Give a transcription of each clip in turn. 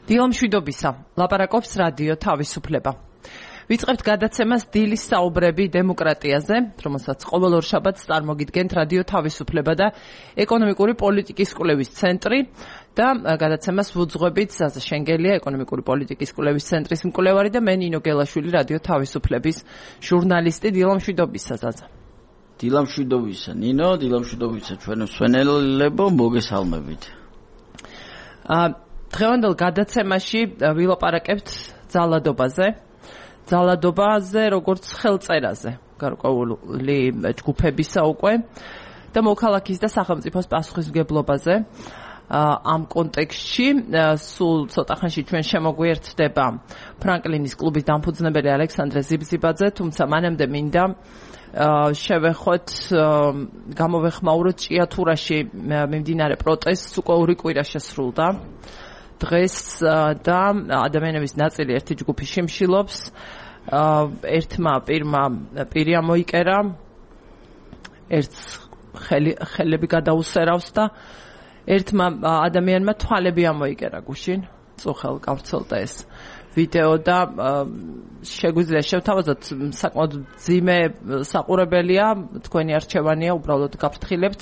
დილამშვიდობისა, ლაპარაკობს რადიო თავისუფლება. ვიწყებთ გადაცემას დილის საუბრები დემოკრატიაზე, რომელსაც ყოველ ორ შაბათს წარმოგიდგენთ რადიო თავისუფლება და ეკონომიკური პოლიტიკის კვლევის ცენტრი და გადაცემას ვუძღვებით ზაზა შენგელია, ეკონომიკური პოლიტიკის კვლევის ცენტრის მკვლევარი და მე ნინო გელაშვილი, რადიო თავისუფლების ჟურნალისტი. დილამშვიდობისა ზაზა. დილამშვიდობისა ნინო, დილამშვიდობისა ჩვენო მსვენელებო, მოგესალმებით. დღევანდელ გადაცემაში ვილაპარაკებთ ძალადობაზე, როგორც ხელწერაზე, გარკვეული ჯგუფებისა უკვე და მოქალაქის და სახელმწიფოს პასუხისმგებლობაზე. ამ კონტექსტში სულ ცოტა ხანში ჩვენ შემოგვიერთდება ფრანკლინის კლუბის დამფუძნებელი ალექსანდრე ზიბზიბაძე, თუმცა მანამდე მინდა შევეხოთ, გამოვეხმაუროთ ჭიათურაში მიმდინარე პროტესტს, უკვე ორი კვირა შესრულდა დღეს და ადამიანების ნაწილი ერთი ჯგუფი შიმშილობს, ერთმა პირმა პირი ამოიკერა, ერთს ხელები გადაუსერავს და ერთმა ადამიანმა თვალები ამოიკერა გუშინ, წუხელ გავრცელდა ეს ვიდეო და შეგვიძლია შევთავაზოთ, საკმაოდ მძიმე საყურებელია, თქვენი არჩევანია, უბრალოდ გაფრთხილებთ.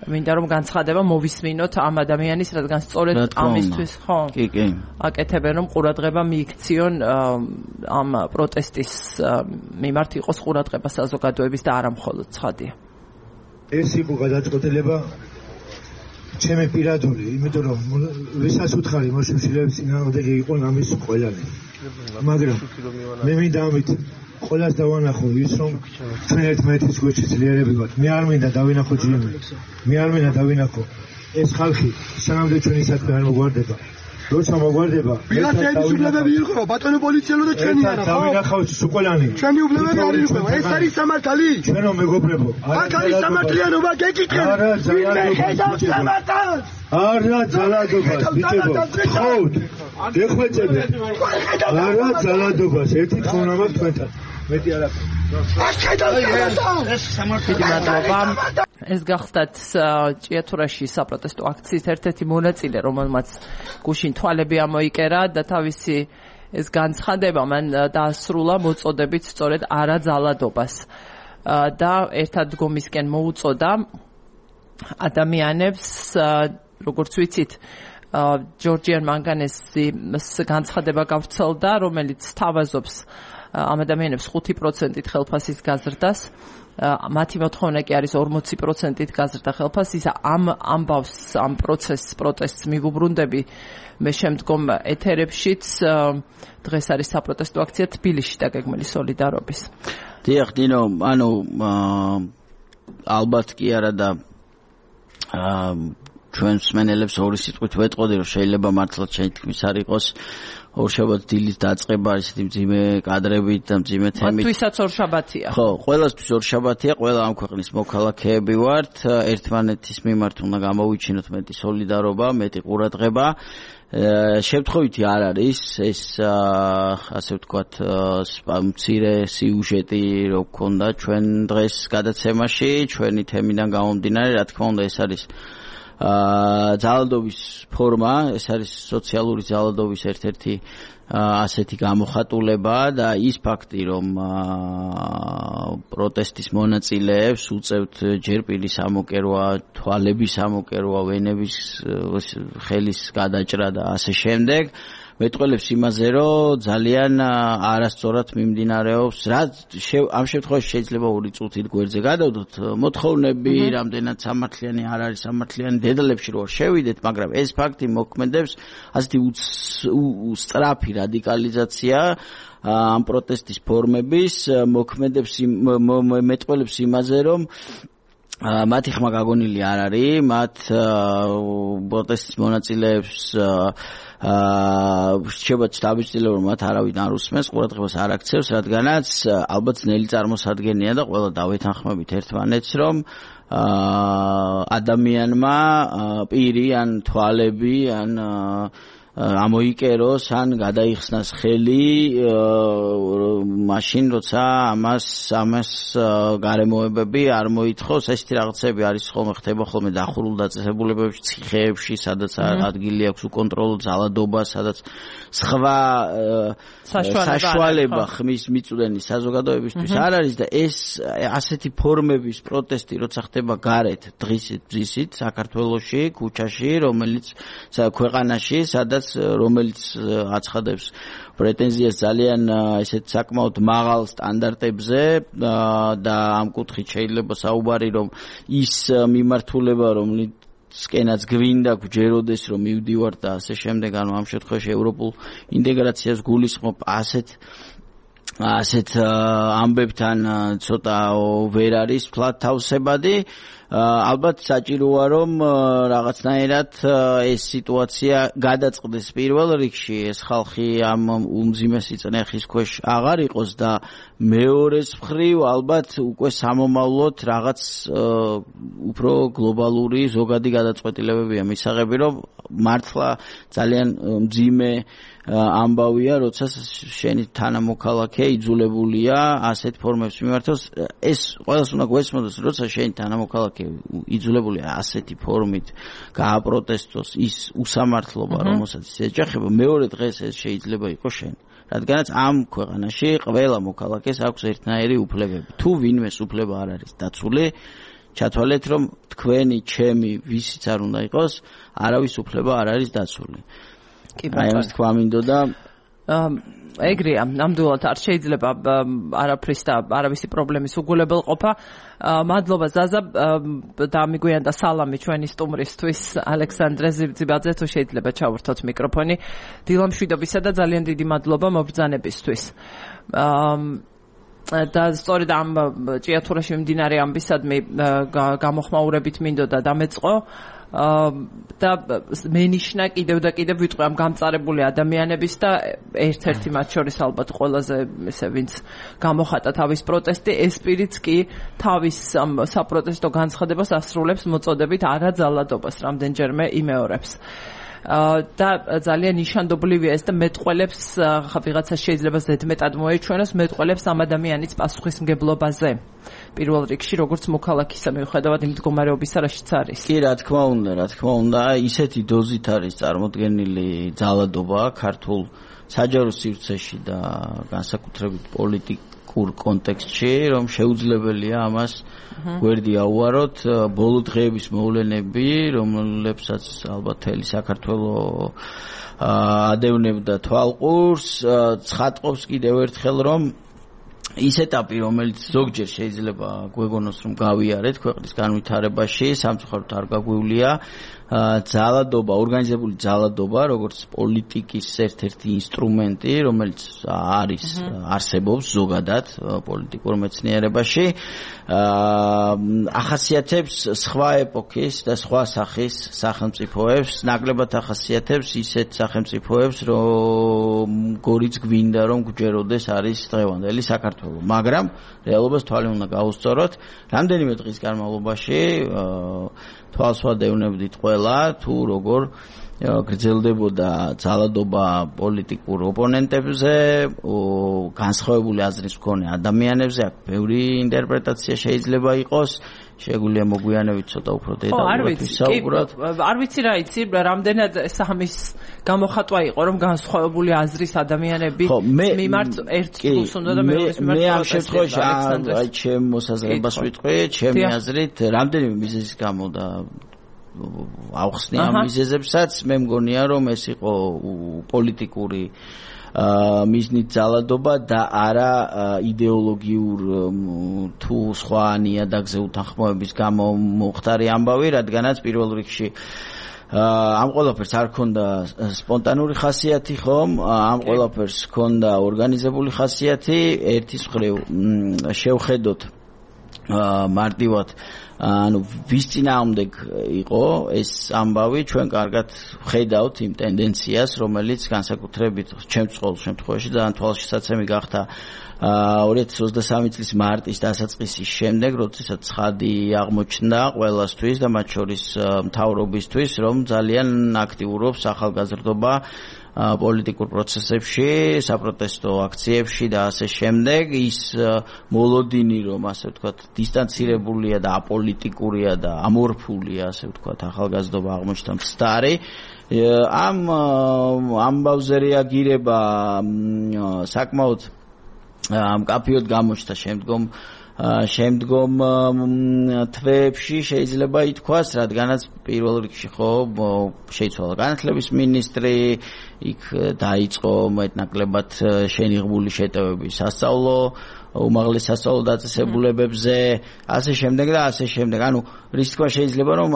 მინდა რომ განცხადება მოვისმინოთ ამ ადამიანის, რადგან სწორედ ამისთვის აკეთებენ, რომ ყურადღება მიიქციონ ამ პროტესტის მიმართ იყოს ყურადღება საზოგადოების და არა მხოლოდ ცხადია. ეს იყო გადაწყვეტილება ჩემი პირადული, იმიტომ რომ ვისაც უთხარი მოშიშილების წინააღმდეგი იყო ამის ყველანი. მაგრამ მე მინდა ამით ყველას დავანახო ის, რომ ჩვენ ერთმანეთის გვერდში ძლიერები ვართ. მე არ მინდა დავინახო ჯიმებს. მე არ მინდა დავინახო ეს ხალხი სანამდე ჩვენი საქმე არ მოგვარდება. როცა მოგვარდება, ვიღაცების უფლებები ირღვევა, ბატონო პოლიციელო და ჩვენი არა, ხო? დავინახავთ სუკოლანი. ჩვენი უფლებები არ ირღვევა. ეს არის სამართალი? ჩვენო მეგობრებო. აქ არის სამართლიანობა, გეკითხეთ. ვინმე ხედავს სამართალს? არა ძალადობას, ბიჭებო. ხოთ. გეხვეწებთ. არა ძალადობას, ერთი თხოვნა მაქვს თქვენთან. მეტი არ აქვს. ეს გახდათ ჭიათურაში საპროტესტო აქციის ერთ-ერთი მონაწილე, რომელმაც გუშინ თვალები ამოიკერა და თავისი ეს განცხადება მან დაასრულა მოწოდებით სწორედ არა ძალადობას და ერთად დგომისკენ მოუწოდა ადამიანებს, როგორც ვიცით, ჯორჯიან მანგანესის განცხადება გავრცელდა, რომელიც თავაზობს ამ ადამიანებს 5%-ით ხელფასის გაზრდას, მათი მოთხოვნა კი არის 40%-ით გაზრდა ხელფასისა. ამ ამბავს, ამ პროტესტს მივუბრუნდები მე შემდგომ ეთერებშიც. დღეს არის საპროტესტო აქცია თბილისში დაგეგმილი სოლიდარობის. დიახ, დინო, ანუ ალბათ კი არა და ჩვენ მსმენელებს ორი სიტყვით ვეტყოდი, რომ შეიძლება მართლაც შეთქმის არ იყოს ორშაბათს დილის დაწყება ისეთი მძიმე კადრებით და მძიმე თემით. მათთვისაც ორშაბათია. ხო, ყველასთვის ორშაბათია, ყველა ამ ქვეყნის მოქალაქეები ვართ, ერთმანეთის მიმართ უნდა გამოვიჩინოთ მეტი სოლიდარობა, მეტი ყურადღება. შევთხოვითი არ არის ეს ასე ვთქვათ მცირე სიუჟეტი რო გქონდა ჩვენ დღეს გადაცემაში, ჩვენი თემიდან გამომდინარე, რა თქმა უნდა ეს არის ძალადობის ფორმა, ეს არის სოციალური ძალადობის ერთ-ერთი ასეთი გამოხატულება და ის ფაქტი, რომ პროტესტის მონაწილეებს უწევთ ჯერ პირის ამოკერვა, თვალების ამოკერვა, ვენების ხელის გადაჭრა და ასე შემდეგ, მეტყველებს იმაზე, რომ ძალიან არასწორად მიმდინარეობს. ამ შემთხვევაში შეიძლება ორი წუთით გვერდზე გადავდოთ მოთხოვნები, რამდენად სამართლიანი არ არის სამართლიანი, დედალებში რო შევიდეთ, მაგრამ ეს ფაქტი მოქმედებს ასეთი სწრაფი რადიკალიზაცია ამ პროტესტის ფორმების, მოქმედებს მეტყველებს იმაზე, რომ მათი ხმა გაგონილი არ არის, მათ პროტესტის მონაწილეებს რჩებათ დავიწყილებ, რომ მათ არავინ არ უსმენს, ყურადღებას არ აქცევს, რადგანაც ალბათ ძნელი წარმოსადგენია და ყველა დავეთანხმებით ერთმანეთს, რომ ადამიანმა პირი ან თვალები ან ამოიკეროს ან გადაიხსნას ხელი მაშინ როცა ამას გარემოებები არ მოითხოვს ესეთი რაღაცები არის ხოლმე ხდება ხოლმე დახურულ დაწესებულებებში ციხეებში სადაც ადგილი აქვს უკონტროლო ძალადობა სადაც სხვა საშუალება ხმის მიწვდენი საზოგადოებისთვის არ არის და ეს ასეთი ფორმების პროტესტი როცა ხდება გარეთ დღისით საქართველოში ქუჩაში რომელიც ქვეყანაში სადაც რომელიც აცხადებს პრეტენზიას ძალიან ესეთ საკმაოდ მაღალ სტანდარტებზე და ამ კუთხით შეიძლება საუბარი რომ ის მიმართულება რომლისკენაც გვინდა გვჯეროდეს რომ მივდივართ და ასე შემდეგ ანუ ამ შემთხვევაში ევროპულ ინტეგრაციას გულისხმობ ასეთ ამბებთან ცოტა ვერ არის ფლად თავსებადი ალბათ საჭიროა რომ რაღაცნაირად ეს სიტუაცია გადაწყდეს პირველ რიგში ეს ხალხი ამ უმძიმესი წნეხის ქვეშ აღარ იყოს და მეორეს მხრივ ალბათ უკვე სამომავლოდ რაღაც უფრო გლობალური ზოგადი გადაწყვეტილებებია მისაღები რომ მართლა ძალიან მძიმე ამბავია როცა შენი თანამოქალაქე იძულებულია ასეთ ფორმებს მიმართოს ეს ყველას უნდა გვესმოდეს როცა შენი თანამოქალაქე იძულებულია ასეთი ფორმით გააპროტესტოს ის უსამართლობა რომელსაც ეჯახება მეორე დღეს ეს შეიძლება იყოს შენ რადგანაც ამ ქვეყანაში ყველა მოქალაქეს აქვს ერთნაირი უფლებები თუ ვინმეს უფლება არ არის დაცული ჩათვალეთ რომ თქვენი ჩემი ვისიც არ უნდა იყოს არავის უფლება არ არის დაცული აი ეს თქვა მინდოდა ეგრეა ნამდვილად არ შეიძლება არაფრის და არავისი პრობლემის უგულებელყოფა მადლობა ზაზა და მიგვიანდა სალამი ჩვენი სტუმრისთვის ალექსანდრე ზიბაძე თუ შეიძლება ჩავურთოთ მიკროფონი დილამშვიდობისა და ძალიან დიდი მადლობა მობრძანებისთვის და სწორედ ამ ჭიათურაში მიმდინარე ამბისადმი გამოხმაურებით მინდოდა დამეწყო და მენიშნა კიდევ და კიდევ ვიტყვი ამ გამწარებული ადამიანების და ერთ-ერთი მათ შორის ალბათ ყველაზე ესე ვინც გამოხატა თავის პროტესტი ეს პირიც კი თავის საპროტესტო განცხადებას ასრულებს მოწოდებით არაძალადობას რამდენჯერმე იმეორებს და ძალიან ნიშანდობლივია ეს და მეტყველებს ვიღაცა შეიძლება ზედმეტად მოეჩვენოს მეტყველებს ამ ადამიანის პასუხისმგებლობაზე პირველ რიგში როგორც მოქალაქისა მიუხედავად იმ მდგომარეობისა რაშიც არის კი რა თქმა უნდა ისეთი დოზით არის წარმოდგენილი ძალადობა ქართულ საჯარო სივრცეში და განსაკუთრებით პოლიტიკურ კონტექსტში რომ შეუძლებელია ამას გვერდი აუაროთ ბოლო დღეების მოვლენები რომლებსაც ალბათ მთელი საქართველო ადევნებდა თვალყურს ცხადყოფს კიდევ ერთხელ რომ ის ეტაპი რომელიც ზოგჯერ შეიძლება გვეგონოს რომ გავიარეთ ქვეყნის განვითარებაში სამწუხაროდ არ გაგვივლია ძალადობა ორგანიზებული ძალადობა როგორც პოლიტიკის ერთ-ერთი ინსტრუმენტი რომელიც არსებობს ზოგადად პოლიტიკურ მეცნიერებაში ახასიათებს სხვა ეპოქის და სხვა სახის სახელმწიფოებს ნაკლებად ახასიათებს ისეთ სახელმწიფოებს როგორიც გვინდა რომ გვჯეროდეს არის დღევანდელი საქართველო მაგრამ რეალობას თვალი უნდა გაუსწოროთ რამდენიმე დღის განმავლობაში თვალს ვადევნებდით ყველა თუ როგორ გრძელდებოდა ძალადობა პოლიტიკურ ოპონენტებზე განსხვავებული აზრის მქონე ადამიანებზე აქ ბევრი ინტერპრეტაცია შეიძლება იყოს შეგვიძლია მოგვიანებით ცოტა უფრო დეტალურად ვისაუბროთ არ ვიცი რა იცი რამდენად სამის გამოხატვა იყო რომ განსხვავებული აზრის ადამიანები მიმართ ერთ ჯგუფს უნდა და მეორის მიმართ მე ამ შემთხვევაში აი ჩემ მოსაზრებას ვიტყვი ჩემი აზრით რამდენიმე მიზეზის გამო და ავხსნი ამ მიზეზებსაც მე მგონია რომ ეს იყო პოლიტიკური მიზნით ძალადობა და არა იდეოლოგიურ თუ სხვა ნიადაგზე უთანხმოების გამო მოხდარი ამბავი რადგანაც პირველ რიგში ამ ყველაფერს არ ქონდა სპონტანური ხასიათი ხომ ამ ყველაფერს ქონდა ორგანიზებული ხასიათი ერთის მხრივ შევხედოთ მარტივად ანუ ვის წინააღმდეგ იყო ეს ამბავი ჩვენ კარგად ვხედავთ იმ ტენდენციას რომელიც განსაკუთრებით ჩემს შემთხვევაში ძალიან თვალშისაცემი გახდა 2023 წლის მარტის დასაწყისის შემდეგ, როდესაც ცხადი აღმოჩნდა ყველასთვის და მათ შორის მთავრობისთვის, რომ ძალიან აქტიურობს ახალგაზრდობა პოლიტიკურ პროცესებში, საპროტესტო აქციებში და ასე შემდეგ. ის მოლოდინი, რომ ასე ვთქვათ, დისტანცირებულია და აპოლიტიკურია და ამორფულია, ასე ვთქვათ, ახალგაზრდობა აღმოჩნდა მცდარი. ამ ამბავზე რეაგირება საკმაოდ მკაფიოდ გამოჩნდა შემდგომ თვეებში შეიძლება ითქვას, რადგანაც პირველ რიგში ხო შეიცვალა განათლების მინისტრი, იქ დაიწყო მეტნაკლებად შენიღბული შეტევები სასწავლო უმაღლეს სასწავლო დაწესებულებებზე, ასე შემდეგ და ასე შემდეგ. ანუ რის თქვა შეიძლება რომ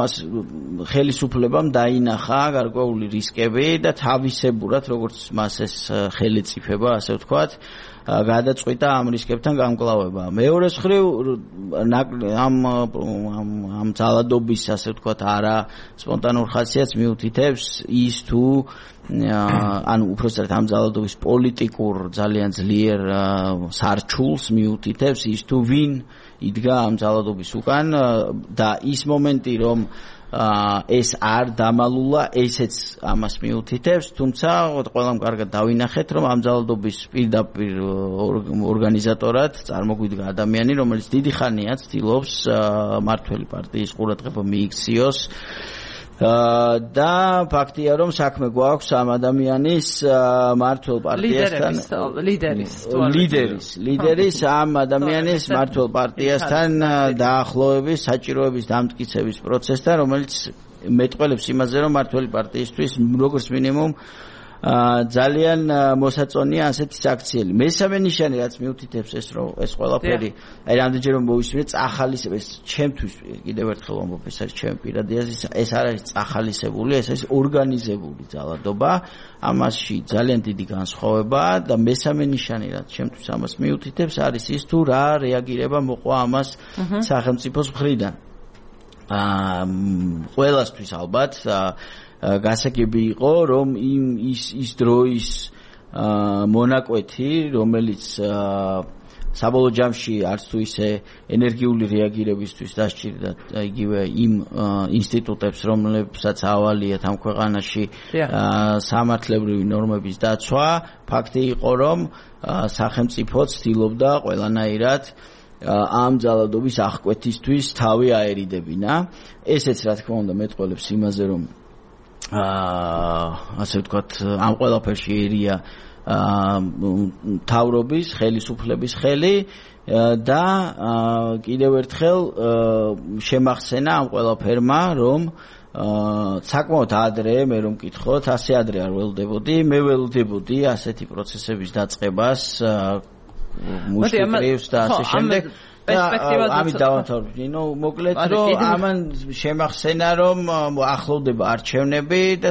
ხელისუფლებამ დაინახა გარკვეული რისკები და თავისებურად როგორც მას ეს ხელისუფლება, ასე ვთქვათ, გადაწყვიტა ამ რისკებთან გამკლავება. მეორე მხრივ ამ ძალადობის, ასე ვთქვათ, არა სპონტანურ ხასიათს მიუთითებს ის თუ ანუ უпростоრად ამ ძალადობის პოლიტიკურ ძალიან ძლიერ სარჩულს მიუთითებს ის თუ ვინ იდგა ამ ძალადობის უკან და ის მომენტი რომ ეს არ დამალულა, ესეც ამას მიუთითებს, თუმცა ყველამ კარგად დავინახეთ, რომ ამ ძალადობის პირდაპირ ორგანიზატორად წარმოგვიდგა ადამიანი, რომელიც დიდი ხანია ცდილობს მართველი პარტიის ყურადღება მიიქციოს და ფაქტია რომ საქმე გვაქვს ამ ადამიანის მართლ პარტიასთან ლიდერის ამ ადამიანის მართლ პარტიასთან დაახლოების საჭიროების დამტკიცების პროცესთან რომელიც მეტყველებს იმაზე რომ მართლი პარტიისთვის როგორც მინიმუმ ძალიან მოსაწონია ასეთი აქციელი. მესამე ნიშანი რაც მიუთითებს ეს ყველაფერი, აი რამდენჯერ რომ მოვისმინე წახალისებას ჩემთვის კიდევ ერთხელ ვამბობ, ეს არის ჩემი პირადი აზრი, ეს არ არის წახალისებული, ეს არის ორგანიზებული ძალადობა, ამაში ძალიან დიდი განსხვავება და მესამე ნიშანი რაც ჩემთვის ამას მიუთითებს არის ის თუ რა რეაგირება მოყვა ამას სახელმწიფოს მხრიდან. ყველასთვის ალბათ გასაგები იყო რომ ის დროის მონაკვეთი რომელიც საბოლოო ჯამში არც თუ ისე ენერგიული რეაგირებისთვის დასჭირდა იგივე იმ ინსტიტუტებს რომლებსაც ავალიათ ამ ქვეყანაში სამართლებრივი ნორმების დაცვა ფაქტი იყო რომ სახელმწიფო ცდილობდა ყველანაირად ამ ძალადობის აღკვეთისთვის თავი აერიდებინა ესეც რა თქმა უნდა მეტყველებს იმაზე რომ ასე ვთქვათ ამ ყველაფერში ერია თავრობის ხელისუფლების ხელი და კიდევ ერთხელ შემახსენა ამ ყველაფერმა რომ საკმაოდ ადრე მე რომ მკითხოთ ასე ადრე არ ველდებოდი მე ველდებოდი ასეთი პროცესების დაწყებას მუშტრივს და ასე შემდეგ ამით დავამთავრებ მოკლედ რომ ამან შემახსენა რომ ახლოვდება არჩევნები და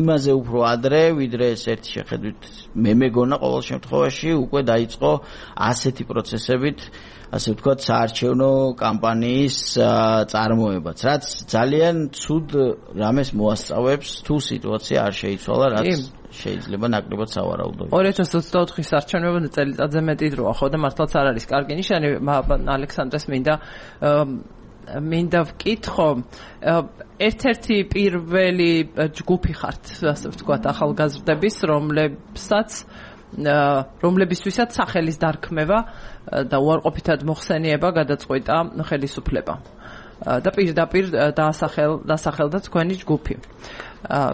იმაზე უფრო ადრე ვიდრე ეს ერთი შეხედვით მე მეგონა ყოველ შემთხვევაში უკვე დაიწყო ასეთი პროცესებით ასე ვთქვათ საარჩევნო კამპანიის წარმოებაც რაც ძალიან ცუდ რამეს მოასწავებს თუ სიტუაცია არ შეიცვალა რაც შეიძლება ნაკლებად სავარაუდოა 2024-ის არჩევნებამდე წელიწადზე მეტი დროა ხო და მართლაც არ არის კარგი ნიშანი ალექსანდრეს მინდა ვკითხო ერთ-ერთი პირველი ჯგუფი ხართ ასე ვთქვათ ახალგაზრდების რომლებისთვისაც სახელის დარქმევა და უარყოფითად მოხსენიება გადაწყვიტა ხელისუფლება და პირდაპირ დასახელდა თქვენი ჯგუფი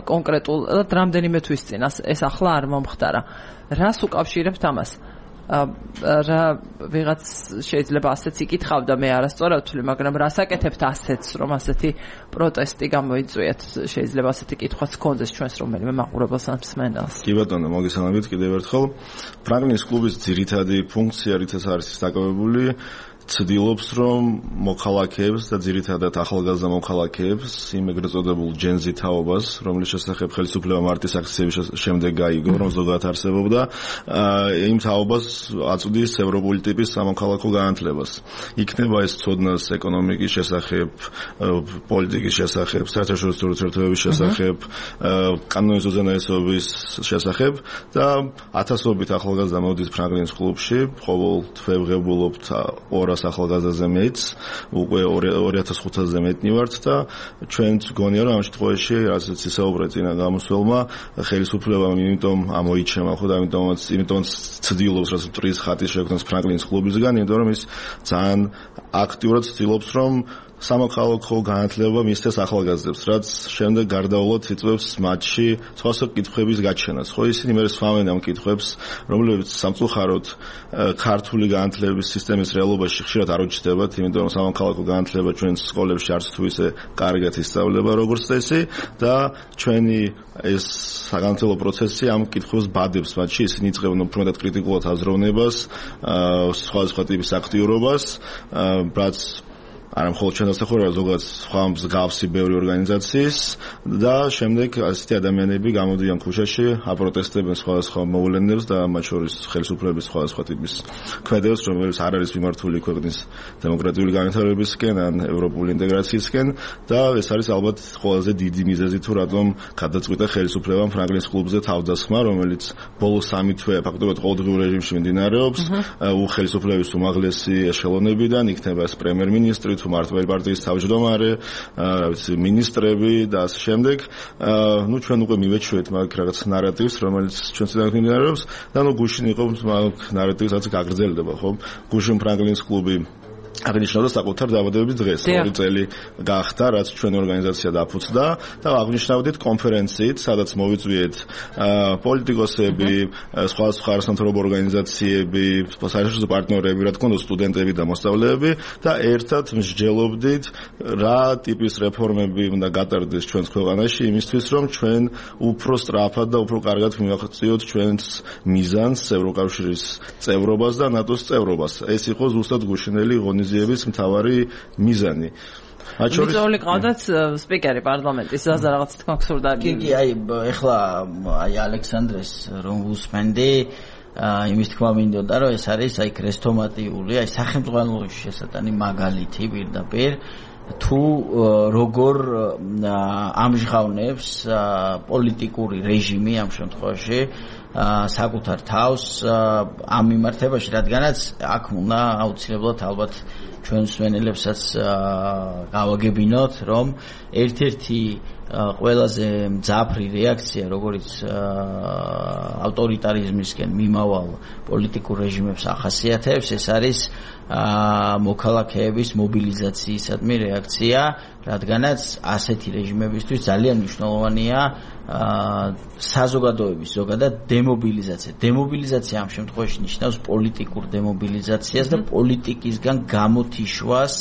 კონკრეტულად რამდენიმე თვის წინ ეს ახლა არ მომხდარა რას უკავშირებთ ამას რა ვიღაც შეიძლება ასეც იკითხავდა მე არასწორად ვთვლი მაგრამ რას აკეთებთ ასეც რომ ასეთი პროტესტი გამოიწვიეთ შეიძლება ასეთი კითხვაც გქონდეს ჩვენს რომელიმე მაყურებელს ან მსმენელს კი ბატონო მოგესალმებით კიდევ ერთხელ ფრანგლინის კლუბის ძირითადი ფუნქცია რითაც არის დაკავებული ცდილობს რომ მოქალაქეებს და ძირითადად ახალგაზრდა მოქალაქეებს იმ ეგრეთ წოდებულ ჯენზი თაობას, რომლის შესახებ ხელისუფლება მარტის აქციების შემდეგ გაიგო, რომ ზოგადად არსებობდა, იმ თაობას აწვდის ევროპული ტიპის სამოქალაქო განათლებას. იქნება ეს ცოდნას ეკონომიკის შესახებ, პოლიტიკის შესახებ, საერთაშორისო ურთიერთობების შესახებ, კანონის უზენაესობის შესახებ და ათასობით ახალგაზრდა მოდის ფრანგლინის კლუბში, ყოველ თვეებღებულობთ 200 ახალგაზრდაზე მეც, უკვე 2500-ზე მეტნი ვართ და ჩვენც გონია რომ ამ შემთხვევაში რასაც ისაუბრეთ წინა გამოსვლელმა ხელისუფლებამ იმიტომ ამოიჩემა ხო და იმიტომაც ცდილობს რასაც ტრის ხატის შექმნას ფრანგლინის კლუბისგან, იმიტომ რომ ის ძალიან აქტიურად ცდილობს რომ სამოქალაქო განათლება მისცეს ახალგაზრდებს, რაც შემდეგ გარდაულად იწვევს მათში სხვადასხვა კითხვების გაჩენას. ხო, ისინი მე სვამენ ამ კითხვებს, რომლებიც სამწუხაროდ ქართული განათლების სისტემის რეალობაში ხშირად არ უჩნდებათ, იმიტომ რომ სამოქალაქო განათლება ჩვენს სკოლებში არც თუ ისე კარგად ისწავლება როგორც წესი და ჩვენი ეს საგანმანათლებლო პროცესი ამ კითხვებს ბადებს მათში, ისინი იწყებენ უფრო მეტად კრიტიკულად აზროვნებას, სხვადასხვა ტიპის აქტიურობას, რაც არა მხოლოდ ჩვენს ახლა ზოგადად სხვა მსგავსი ბევრი ორგანიზაციის და შემდეგ ასეთი ადამიანები გამოდიან ქუჩაში, აპროტესტებენ სხვადასხვა მოვლენებს და მათ შორის ხელისუფლების სხვადასხვა ტიპის ქმედებს, რომელიც არ არის მიმართული ქვეყნის დემოკრატიული განვითარებისკენ ან ევროპული ინტეგრაციისკენ და ეს არის ალბათ ყველაზე დიდი მიზეზი თუ რატომ გადაწყვიტა ხელისუფლებამ ფრანგლინის კლუბზე თავდასხმა, რომელიც ბოლო 3 თვე ფაქტობრივად ყოველდღიურ რეჟიმში მიმდინარეობს, ხელისუფლების უმაღლესი ეშელონებიდან იქნება ეს პრემიერ-მინისტრი მართლმადიდებელი პარტიის თავმჯდომარე, მინისტრები და ასე შემდეგ. ნუ ჩვენ უკვე მივეჩვევთ მაგ რაღაც ნარატივს, რომელიც ჩვენ წინააღმდეგ მიმდინარეობს და ნუ გუშინ იყო მაგ ნარატივს, რაც გაგრძელდება, ხო? გუშინ ფრანგლინის კლუბი აღნიშნავდა საკუთარ დაბადების დღეს, 2 წელი გახდა, რაც ჩვენი ორგანიზაცია დაფუძნდა და აღნიშნავდით კონფერენციით, სადაც მოვიწვიეთ პოლიტიკოსები, სხვადასხვა არასამთავრობო ორგანიზაციები, საერთაშორისო პარტნიორები, რა თქმა უნდა, სტუდენტები და მოსწავლეები და ერთად მსჯელობდით, რა ტიპის რეფორმები უნდა გატარდეს ჩვენს ქვეყანაში იმისთვის, რომ ჩვენ უფრო სწრაფად და უფრო კარგად მივახციოთ ჩვენს მიზანს, ევროკავშირის წევრობას და ნატოს წევრობას. ეს იყო ზუსტად გუშინელი ღონისძიების მთავარი მიზანი. მიწვეული ყავდათ სპიკერი პარლამენტის, ზაზა რაღაც თქვა გსურდა. კი, აი ეხლა აი ალექსანდრეს რომ უსმენდი იმის თქვა მინდოდა რომ ეს არის აი ქრესტომატიული, აი სახელმწიფოს შესატანი მაგალითი პირდაპირ თუ როგორ ამჟღავნებს პოლიტიკური რეჟიმი ამ შემთხვევაში საკუთარ თავს ამ მიმართებაში, რადგანაც აქ უნდა აუცილებლად ალბათ ჩვენ მსმენელებსაც გავაგებინოთ, რომ ერთ-ერთი ყველაზე მძაფრი რეაქცია, როგორც ავტორიტარიზმისკენ მიმავალ პოლიტიკურ რეჟიმებს ახასიათებს, ეს არის მოქალაქეების მობილიზაციისადმი რეაქცია, რადგანაც ასეთი რეჟიმებისთვის ძალიან მნიშვნელოვანია საზოგადოების ზოგადად დემობილიზაცია. დემობილიზაცია ამ შემთხვევაში ნიშნავს პოლიტიკურ დემობილიზაციას და პოლიტიკისგან გამოთიშვას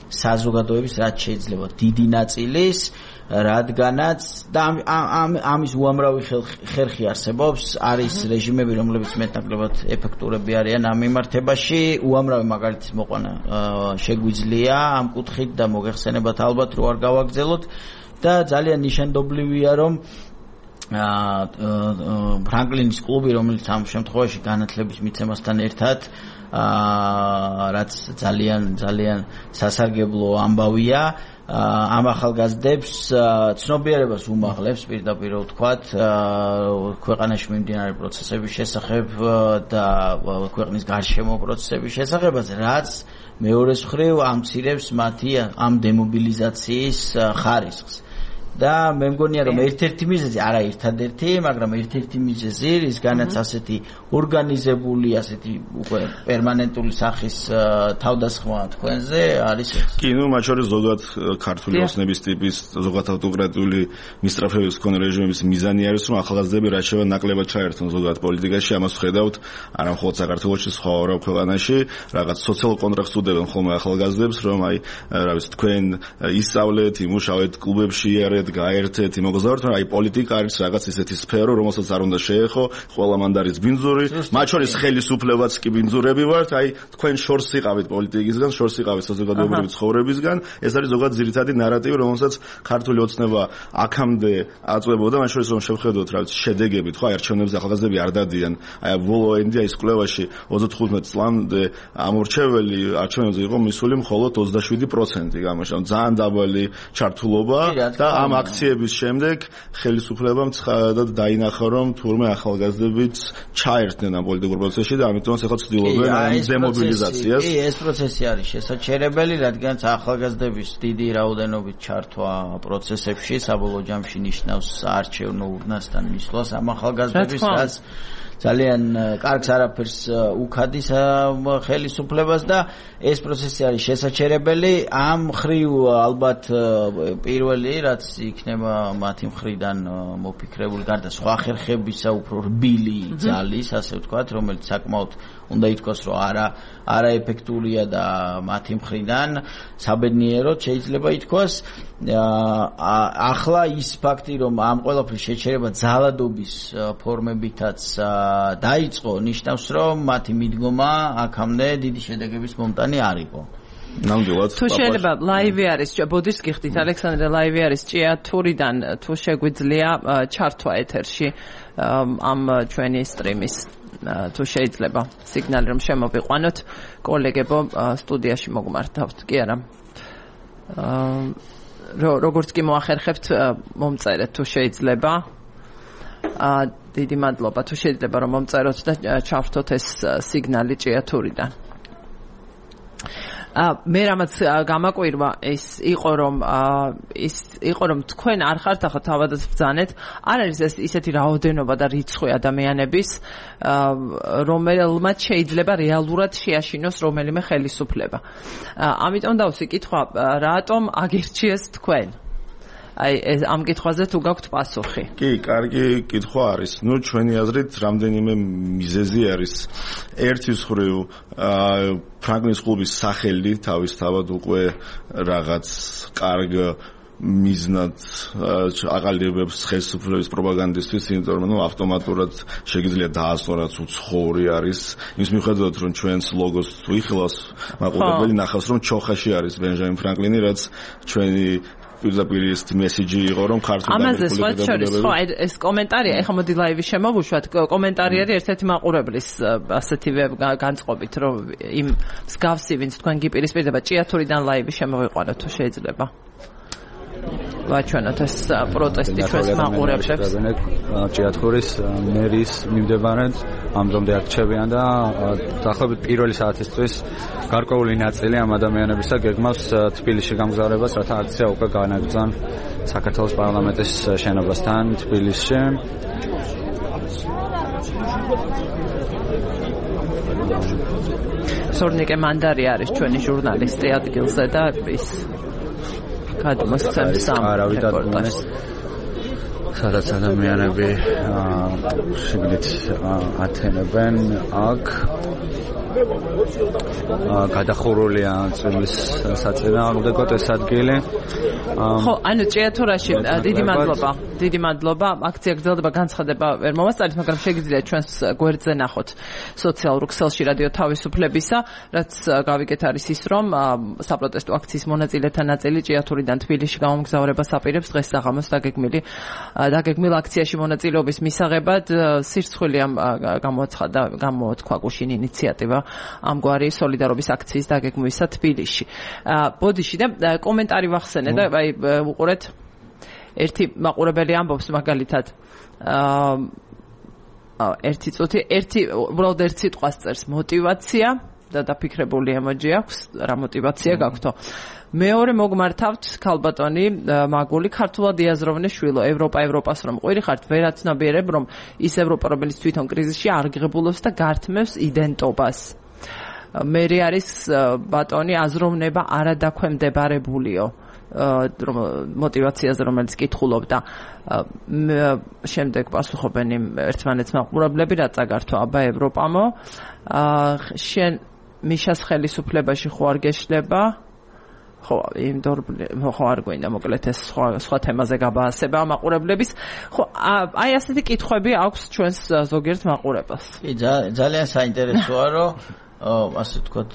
საზოგადოების რაც შეიძლება დიდი ნაწილის, რადგანაც და ამის უამრავი ხერხი არსებობს, არის რეჟიმები, რომლებიც მეტნაკლებად ეფექტურები არიან ამ მიმართებაში, უამრავი მაგალითის მოყვანა შეგვიძლია ამ კუთხით და მოგეხსენებათ ალბათ რო არ გავაგრძელოთ და ძალიან ნიშანდობლივია, რომ ფრანგლინის კლუბი, რომელიც ამ შემთხვევაში განათლების მიცემასთან ერთად რაც ძალიან სასარგებლო ამბავია, ამ ახალგაზრდებს ცნობიერებას უმაღლებს პირდაპირ ვთქვათ ქვეყანაში მიმდინარე პროცესების შესახებ და ქვეყნის გარშემო პროცესების შესახებაც, რაც მეორეს მხრივ ამცირებს მათი ამ დემობილიზაციის ხარისხს. და მე მგონია რომ ერთ-ერთი მიზეზი, არა ერთადერთი, მაგრამ ერთ-ერთი მიზეზი, რისგანაც ასეთი ორგანიზებული, ასეთი უკვე პერმანენტული სახის თავდასხმა თქვენზე არის ეს. კი, ნუ მათ შორის ზოგადად ქართული ოსნების ტიპის, ზოგადად ავტოკრატიული მისწრაფების მქონე რეჟიმების მიზანი არის, რომ ახალგაზრდები რაც შეიძლება ნაკლებად ჩაერთონ ზოგადად პოლიტიკაში, ამას ხედავთ არა მხოლოდ საქართველოში, სხვა ორ ქვეყანაში, რაღაც სოციალურ კონტრაქტს უდებენ ხოლმე ახალგაზრდებს, რომ აი, რა ვიცი, თქვენ ისწავლეთ, იმუშავეთ კლუბებში, იარეთ ედგა ერთ-ერთი მოგზაურთ, რომ აი პოლიტიკა არის რაღაც ისეთი სფერო, რომელსაც არ უნდა შეეხო, ყველა მანდ არის ბინძური, მათ შორის ხელისუფლებაც კი ბინძურები ვართ, აი თქვენ შორს იყავით პოლიტიკისგან, შორს იყავით საზოგადოებრივი ცხოვრებისგან, ეს არის ზოგადად ძირითადი ნარატივი, რომელსაც ქართული ოცნება აქამდე აწვებოდა, მათ შორის რომ შევხედოთ რა ვიცი შედეგებით, ხო, არჩევნებზე ახალგაზრდები არ დადიან, აი ბოლო ენდია ის კვლევაში 35 წლამდე ამორჩეველი არჩევნებზე იყო მისული მხოლოდ 27% გამოსა, ძალიან დაბალი ჩართულობა და ამ აქციების შემდეგ ხელისუფლებამ ცხადად დაინახა, რომ თურმე ახალგაზრდებიც ჩაერთნენ ამ პოლიტიკურ პროცესში და ამიტომაც ახლა ცდილობენ ამ დემობილიზაციას. კი, ეს პროცესი არის შესაჩერებელი, რადგან ახალგაზრდების დიდი რაოდენობით ჩართვა პროცესებში საბოლოო ჯამში ნიშნავს საარჩევნო ურნასთან მისვლას ამ ახალგაზრდების, რაც ძალიან კარგს არაფერს უქადის ხელისუფლებას და ეს პროცესი არის შესაჩერებელი. ამ მხრივ ალბათ პირველი რაც იქნება მათი მხრიდან მოფიქრებული გარდა სხვა ხერხებისა უფრო რბილი ძალის, ასე ვთქვათ, რომელიც საკმაოდ უნდა ითქვას, რომ არაეფექტურია და მათი მხრიდან საბედნიეროდ შეიძლება ითქვას. ახლა ის ფაქტი, რომ ამ ყველაფრის შეჩერება ძალადობის ფორმებითაც დაიწყო, ნიშნავს, რომ მათი მიდგომა აქამდე დიდი შედეგების მომტანი არ იყო. ნამდვილად. თუ შეიძლება ლაივი არის, ბოდიშს გიხდით, ალექსანდრე, ლაივი არის ჭიათურიდან, თუ შეგვიძლია ჩართვა ეთერში ამ ჩვენი სტრიმის. თუ შეიძლება სიგნალი რომ შემოვიყვანოთ, კოლეგებო სტუდიაში მოგმართავთ, კი არა? როგორც კი მოახერხებთ, მომწერეთ თუ შეიძლება. დიდი მადლობა, თუ შეიძლება რომ მომწეროთ და ჩავრთოთ ეს სიგნალი ჭიათურიდან. მე რამაც გამაკვირვა ის იყო რომ თქვენ არ ხართ ახლა თავადაც ბრძანეთ, არ არის ეს ისეთი რაოდენობა და რიცხვი ადამიანების, რომელმაც შეიძლება რეალურად შეაშინოს რომელიმე ხელისუფლება. ამიტომ დავსი კითხვა, რატომ აგირჩიეს თქვენ? აი ამ კითხვაზე თუ გაქვთ პასუხი. კი, კარგი კითხვა არის. ნუ ჩვენი აზრით რამდენიმე მიზეზი არის. ერთის მხრივ ფრანკლინის კლუბის სახელი თავისთავად უკვე რაღაც კარგ მიზნად აყალიბებს ხელისუფლების პროპაგანდისთვის, იმიტომ რომ ავტომატურად შეიძლება დაასწრო რაც უცხოური არის. იმის მიუხედავად რომ ჩვენს ლოგოს თუ იხილავს, მაყურებელი ნახავს რომ ჩოხაში არის ბენჟამინ ფრანკლინი, რაც ჩვენი პირდაპირ ეს მესიჯი იყო რომ ქართული ამაზე სხვა შორის ხო ეს კომენტარია, ეხლა მოდი ლაივი შემოვუშვათ, კომენტარი არის ერთ-ერთი მაყურებლის ასეთივე განწყობით, რომ იმ მსგავსი ვინც თქვენ გიპირისპირდება ჭიათურიდან ლაივი შემოვიყვანოთ თუ შეიძლება. ვაჩვენოთ ეს პროტესტი ჩვენს მაყურებლებს. ჭიათურის მერის მიმდებარედ ამჟამად არჩევიან და დაახლოებით პირველი საათისთვის გარკვეული ნაწილი ამ ადამიანებისა გეგმავს თბილისში გამგზავრებას, რათა აქცია უკვე განაგრძან საქართველოს პარლამენტის შენობასთან თბილისში. სორნიკე მანდარი არის ჩვენი ჟურნალისტი ადგილზე და ის გადმოსცემს ამ რეპორტაჟს. სადაც ადამიანები შიგნით ათენებენ აქ გადახურულია წვიმის საწინააღმდეგოდ ეს ადგილი. ხო, ანუ ჭიათურაში დიდი მადლობა. აქცია გრძელდება, განცხადება ვერ მომასწარით, მაგრამ შეგიძლიათ ჩვენს გვერდზე ნახოთ სოციალურ ქსელში რადიო თავისუფლებისა, რაც გავიგეთ არის ის, რომ საპროტესტო აქციის მონაწილეთა ნაწილი ჭიათურიდან თბილისში გამომგზავრებას აპირებს დღეს საღამოს დაგეგმილ აქციაში მონაწილეობის მისაღებად. სირცხვილი გამოთქვა გუშინ ინიციატივა ამგვარი სოლიდარობის აქციის დაგეგმვისა თბილისში. ბოდიში და კომენტარი ვახსენე და აი უყურეთ, ერთი მაყურებელი ამბობს მაგალითად ერთი წუთი, უბრალოდ ერთ სიტყვას წერს მოტივაცია და დაფიქრებული ემოჯი აქვს, რა მოტივაცია გაქვთო. მეორე მოგმართავთ ქალბატონი მაგული ქართულად იაზროვნე შვილო, ევროპას რომ ყვირი ხართ, ვერაცნობიერებ რომ ის ევროპა რომელიც თვითონ კრიზისში არგებულობს და გართმევს იდენტობას. მერე არის ბატონი აზროვნება არადაქვემდებარებულიო, რომ მოტივაციაზე რომელიც კითხულობდა. შემდეგ პასუხობენ იმ ერთმანეთს მაყურებლები, რა წაგართვა აბა ევროპამო, შენ მიშას ხელისუფლებაში ხო არ გეშლება? ხო, იმიტომ ხო არ გვინდა მოკლედ ეს სხვა თემაზე გაბაასება მაყურებლების. ხო, აი ასეთი კითხვები აქვს ჩვენს ზოგიერთ მაყურებელს. კი, ძალიან საინტერესოა, რომ ასე ვთქვათ,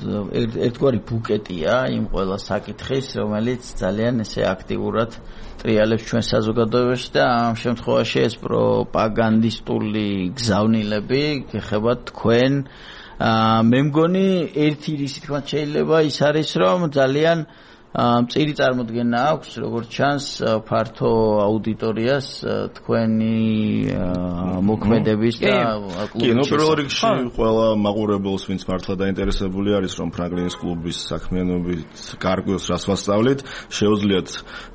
ერთგვარი ბუკეტია იმ ყველა საკითხის, რომელიც ძალიან ესე აქტიურად ტრიალებს ჩვენ საზოგადოებაში და ამ შემთხვევაში ეს პროპაგანდისტული გზავნილები გეხებათ თქვენ. მე მგონი ერთი რისი თქვა შეიძლება ის არის, რომ ძალიან მწირი წარმოდგენა აქვს, როგორც ჩანს, ფართო აუდიტორიას თქვენი მოქმედების და კლუბის. კი, პირველ რიგში ყველა მაყურებელს, ვინც მართლა დაინტერესებული არის, რომ ფრანკლინის კლუბის საქმიანობით გარკვეულს რას ვასწავლით, შეუძლიათ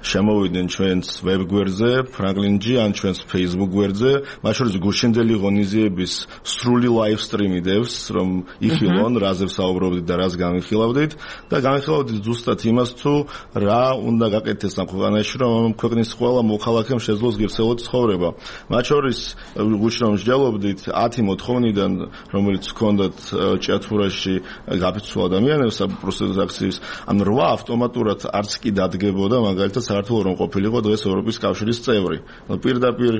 შემოვიდნენ ჩვენს ვებგვერდზე, ფრანკლინჯი ან ჩვენს Facebook გვერდზე, მათ შორის გუშინდელი ღონისძიების სრული ლაივ სტრიმი დევს, რომ იხილონ, რაზე ვსაუბრობდით და რას განვიხილავდით და განვიხილავდით ზუსტად იმას, რა უნდა გაკეთდეს ამ ქვეყანაში, რომ ქვეყნის ყველა მოქალაქემ შეძლოს ღირსეული ცხოვრება. მათ შორის გუშინ რომ მსჯელობდით 10 მოთხოვნიდან, რომელიც ჰქონდათ ჭიათურაში გაფიცულ ადამიანებს პროსტიტუციის, ან 8 ავტომატურად არც კი დადგებოდა, მაგალითად საერთოდ რომ ყოფილიყო დღეს ევროპის კავშირის წევრი. პირდაპირ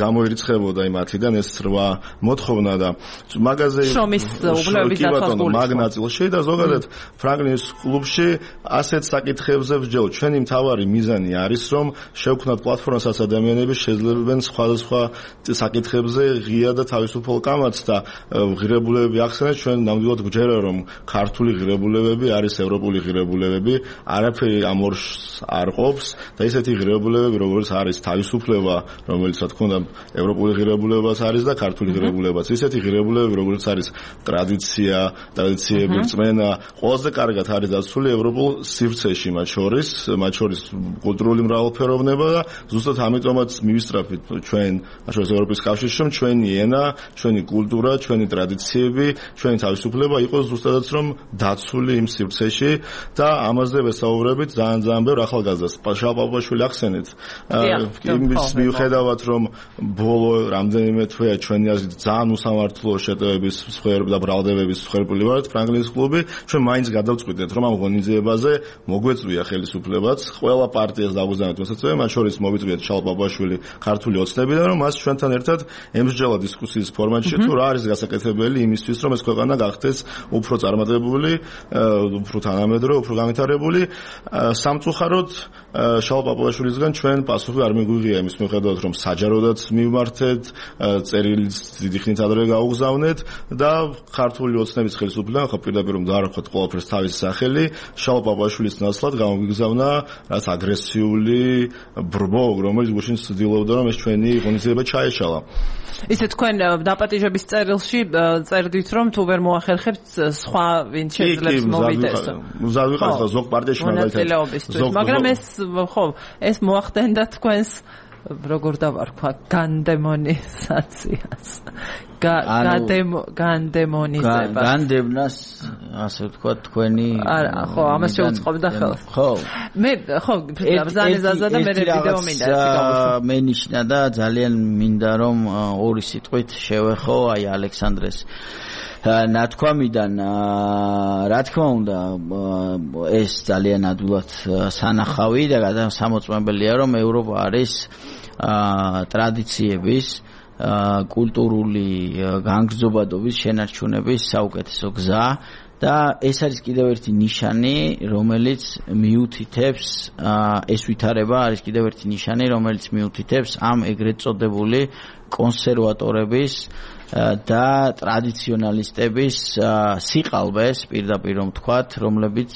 გამოირიცხებოდა იმ 10-დან ეს 8 მოთხოვნა და მაგაზე შრომის უბნეობის დაცვას მაგნაწილში და ზოგადად ფრანკლინის კლუბში ასეთ საკითხებზე ვსჯელობ. ჩვენი მთავარი მიზანი არის, რომ შევქმნათ პლატფორმასაც ადამიანები შეძლებენ სხვადასხვა საკითხებზე ღია და თავისუფალ კამათს და ღირებულებები ახსენეთ. ჩვენ ნამდვილად გვჯერა, რომ ქართული ღირებულებები არის ევროპული ღირებულებები, არაფერი ამ ორს არ ყოფს და ისეთი ღირებულებები, როგორც არის თავისუფლება, რომელიც რა თქმა უნდა ევროპული ღირებულებაც არის და ქართული ღირებულებაც. ისეთი ღირებულებები, როგორც არის ტრადიციები, რწმენა, ყველაზე კარგად არის დაცული ევროპულ სივრცეში მათ შორის კულტურული მრავალფეროვნება და ზუსტად ამიტომაც მივისწრაფით ჩვენ შორის ევროპის კავშირში, რომ ჩვენი ენა, ჩვენი კულტურა, ჩვენი ტრადიციები, ჩვენი თავისუფლება იყოს ზუსტადაც რომ დაცული იმ სივრცეში და ამაზე ვესაუბრებით ძალიან ბევრ ახალგაზრდას. შალპაპაშვილი ახსენეთ. იმის მიუხედავად, რომ ბოლო რამდენიმე თვეა ჩვენი აზრით ძალიან უსამართლო შეტევების მსხვერპლი და ბრალდებების მსხვერპლი ვართ ფრანკლინის კლუბი, ჩვენ მაინც გადავწყვიტეთ, რომ ამ ღონისძიებაზე მოგვეწვია ხელისუფლებაც, ყველა პარტიას დაგვიზარდეთ მოსაწვევი, მათ შორის მოვიწვიეთ შალპაპაშვილი ქართული ოცნებიდან, რომ მას ჩვენთან ერთად ემსჯელა დისკუსიის ფორმატში, თუ რა არის გასაკეთებელი იმისთვის, რომ ეს ქვეყანა გახდეს უფრო წარმატებული, უფრო თანამედროვე, უფრო განვითარებული. სამწუხაროდ შალპაპაშვილისგან ჩვენ პასუხი არ მიგვიღია იმის მიუხედავად, რომ საჯაროდაც მივმართეთ, წერილიც დიდი ხნით ადრე გაუგზავნეთ და ქართული ოცნების ხელისუფლებამ ხო პირდაპირ რომ დაარქვათ ყველაფერს თავისი სახელი, შალპაპაშვილის ნაცვლად გამოგიგზავნა რაც აგრესიული ბრბო, რომელიც გუშინ ცდილობდა რომ ეს ჩვენი ღონისძიება ჩაეშალა. ისე თქვენ დაპატიჟების წერილში წერდით რომ თუ ვერ მოახერხებთ სხვა ვინც შეძლებს მოვიდეს. მზად ვიყავ ხო ზოგ პარტიაში მაგალითად. მაგრამ ეს მოახდენდა თქვენს როგორ დავარქვა განდემონიზაციას. განდემონიზებას. განდევნას ასე ვთქვა თქვენი ხო ამას შეუწყობდა ხელს. ხო. მე ხო ბრძანეზაზა და მე ვიდეო მინდა გავუშვი. მე ნიშნა და ძალიან მინდა რომ ორი სიტყვით შევეხო აი ალექსანდრეს ნათქვამიდან რა თქმა უნდა ეს ძალიან ადვილად სანახავი და სამოწმებელია რომ ევროპა არის ტრადიციების კულტურული განგრძობადობის შენარჩუნების საუკეთესო გზა და ეს არის კიდევ ერთი ნიშანი რომელიც მიუთითებს ეს ვითარება არის კიდევ ერთი ნიშანი რომელიც მიუთითებს ამ ეგრეთ წოდებული კონსერვატორების და ტრადიციონალისტების სიყალბეს პირდაპირ რომ თქვათ რომლებიც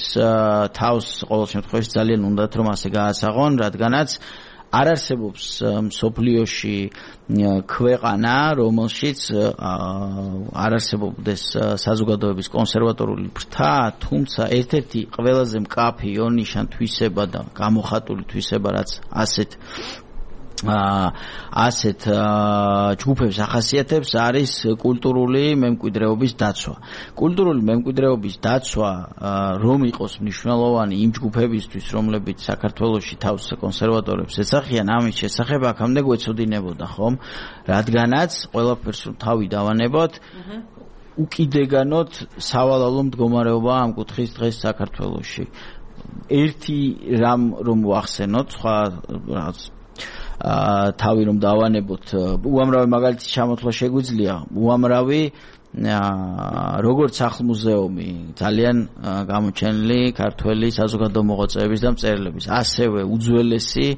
თავს ყოველ შემთხვევაში ძალიან უნდათ რომ ასე გაასაღონ რადგანაც არ არსებობს მსოფლიოში ქვეყანა რომელშიც არ არსებობდეს საზოგადოების კონსერვატორული ფრთა თუმცა ერთ-ერთი ყველაზე მკაფი ონიშან თვისება და გამოხატული თვისება რაც ასეთ ჯგუფებს ახასიათებს არის კულტურული მემკვიდრეობის დაცვა. კულტურული მემკვიდრეობის დაცვა რომ იყოს მნიშვნელოვანი იმ ჯგუფებისთვის, რომლებიც საქართველოში თავს კონსერვატორებს ეცახიან, ამის შესახებ აქამდე გვეცოდინებოდა, ხომ? რადგანაც ყველაფერს თავი დავანებოთ, უკიდეგანოდ სავალალო მდგომარეობა ამ კუთხის დღეს საქართველოში. ერთი რამ რომ ვახსენოთ, სხვა რაღაც თავი რომ დავანებოთ, უამრავი მაგალითი ჩამოთვლა შეგვიძლია, უამრავი როგორც სახლ-მუზეუმი ძალიან გამოჩენილი ქართველი საზოგადო მოღვაწეების და მწერლების, ასევე უძველესი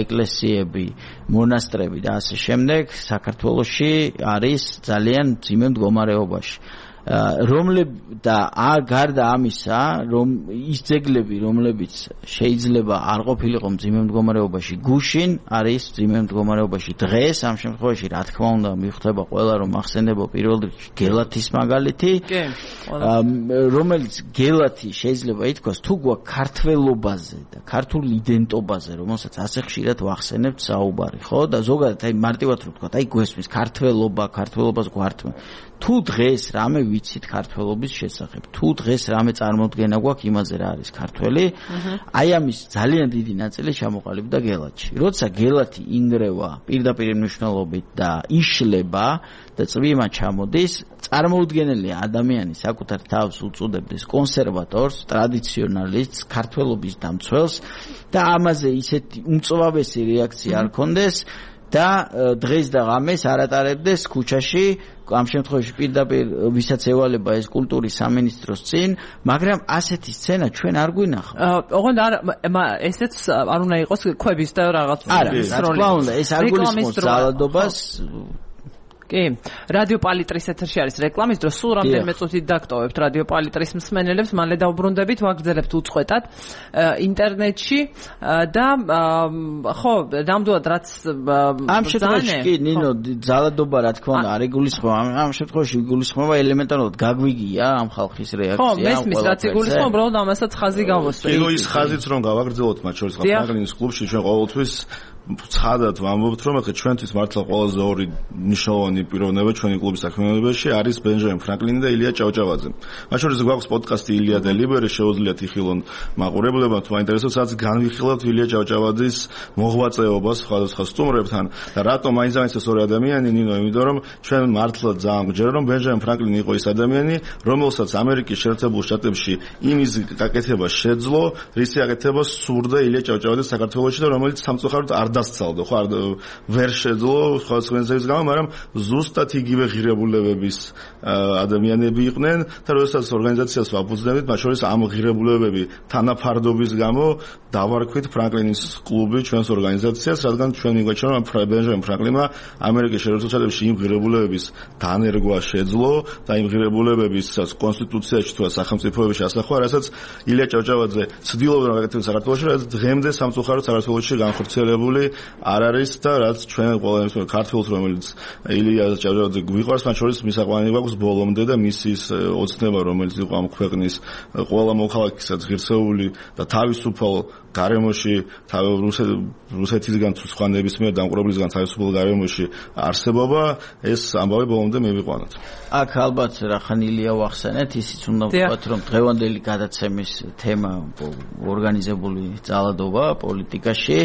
ეკლესიები, მონასტრები და ასე შემდეგ საქართველოში არის ძალიან ძიმე მდგომარეობაში. და გარდა ამისა, რომ ის ძეგლები, რომლებიც შეიძლება არ ყოფილიყო მძიმე მდგომარეობაში, გუშინ არის მძიმე მდგომარეობაში. დღეს ამ შემთხვევაში, რა თქმა უნდა, მიხვდება ყველა, რომ ახსენდება პირველ რიგში გელათის მაგალითი, რომელიც გელათი შეიძლება ითქვას, თუ გვაქვს ქართველობაზე და ქართულ იდენტობაზე, რომელსაც ასე ხშირად ვახსენებთ საუბარი, ხო? და ზოგადად აი მარტივად რომ ვთქვა, აი გვესმის ქართველობას გვართმევ. თუ დღეს რამე ვიცით ქართველობის შესახებ, თუ დღეს რამე წარმოდგენა გვაქვს იმაზე რა არის ქართველი, აი ამის ძალიან დიდი ნაწილი ჩამოყალიბდა გელათში. როცა გელათი ინგრევა პირდაპირ მნიშვნელობით და იშლება და წვიმა ჩამოდის, წარმოუდგენელია ადამიანი საკუთარ თავს უწოდებდეს კონსერვატორს, ტრადიციონალისტს, ქართველობის დამცველს და ამაზე ისეთი უმწვავესი რეაქცია არ ქონდეს და დღეს და ღამეს არ ატარებდეს ქუჩაში, ამ შემთხვევაში პირდაპირ ვისაც ევალება ეს კულტურის სამინისტროს წინ, მაგრამ ასეთი სცენა ჩვენ არ გვინახავს. ოღონდ ესეც არ უნდა იყოს ქვების და რაღაც როლის. რა თქმა უნდა, ეს არ გულისხმობს ძალადობას. კი, რადიო პალიტრის ეთერში არის რეკლამის დრო, სულ რამდენიმე წუთით დაგტოვებთ რადიო პალიტრის მსმენელებს, მალე დავბრუნდებით, ვაგრძელებთ უწყვეტად ინტერნეტში და ხო, ნამდვილად რაც ამ შემთხვევაში კი, ნინო, ძალადობა რა თქმა უნდა არ იგულისხმება, ამ შემთხვევაში იგულისხმება ელემენტარულად გაგვიგია ამ ხალხის რეაქცია. ხო, მესმის რაც იგულისხმება, უბრალოდ ამასაც ხაზი გავუსვით. კიდო ის ხაზიც რომ გავაგრძელოთ მათ შორის ფრანკლინის კლუბში ჩვენ ყოველთვის ცხადად ვამბობთ, რომ ახლა ჩვენთვის მართლა ყველაზე ორი მნიშვნელოვანი პიროვნება ჩვენი კლუბის საქმიანობაში არის ბენჯამინ ფრანკლინი და ილია ჭავჭავაძე. მათ შორის გვაქვს პოდკასტი ილია და ლიბერი, შეუძლიათ იხილონ მაყურებლებმა, თუ აინტერესებს, სადაც განვიხილავთ ილია ჭავჭავაძის მოღვაწეობას სხვადასხვა სტუმრებთან და რატომ მაინც ეს ორი ადამიანი, ნინო, იმიტომ რომ ჩვენ მართლა ძალიან გვჯერა, რომ ბენჯამინ ფრანკლინი იყო ის ადამიანი, რომელსაც ამერიკის შეერთებულ შტატებში იმის გაკეთება შეძლო, რისი გაკეთება სურდა ილია ჭავჭავაძეს საქართველოში და რომელიც სამწუხაროდ არ დასცალდა, ხო, ვერ შეძლო სხვადასხვა ზეგს გამო, მაგრამ ზუსტად იგივე ღირებულებების ადამიანები იყვნენ და როდესაც ორგანიზაციას ვაფუძნებით, მათ შორის ამ ღირებულებები თანაფარდობის გამო დავარქვით ფრანკლინის კლუბი ჩვენს ორგანიზაციას, რადგან ჩვენ მიგვაჩნია, რომ ბენჯამინ ფრანკლინმა ამერიკის შეერთებულ შტატებში იმ ღირებულებების დანერგვა შეძლო და იმ ღირებულებების კონსტიტუციაში თუ სახელმწიფოებში ასახვა, რასაც ილია ჭავჭავაძე ცდილობდა რომ გაკეთებდეს საქართველოში, რაც დღემდე სამწუხაროდ საქართველოში განხორციელებული არ არის და რაც ჩვენ ყველა ქართველს რომელიც ილია ჭავჭავაძე გვიყვარს, მათ შორის მისაყვანები გვაქვს ბოლომდე და მისის ოცნება რომელიც იყო ამ ქვეყნის ყველა მოქალაქესაც ღირსეული და თავისუფალ გარემოში რუსეთისგან თუ სხვა ნებისმიერ დამყურებლისგან თავისუფალ გარემოში არსებობა, ეს ამბავი ბოლომდე მივიყვანოთ. აქ ალბათ რახან ილია ვახსენეთ, ისიც უნდა ვთქვათ, რომ დღევანდელი გადაცემის თემა ორგანიზებული ძალადობა პოლიტიკაში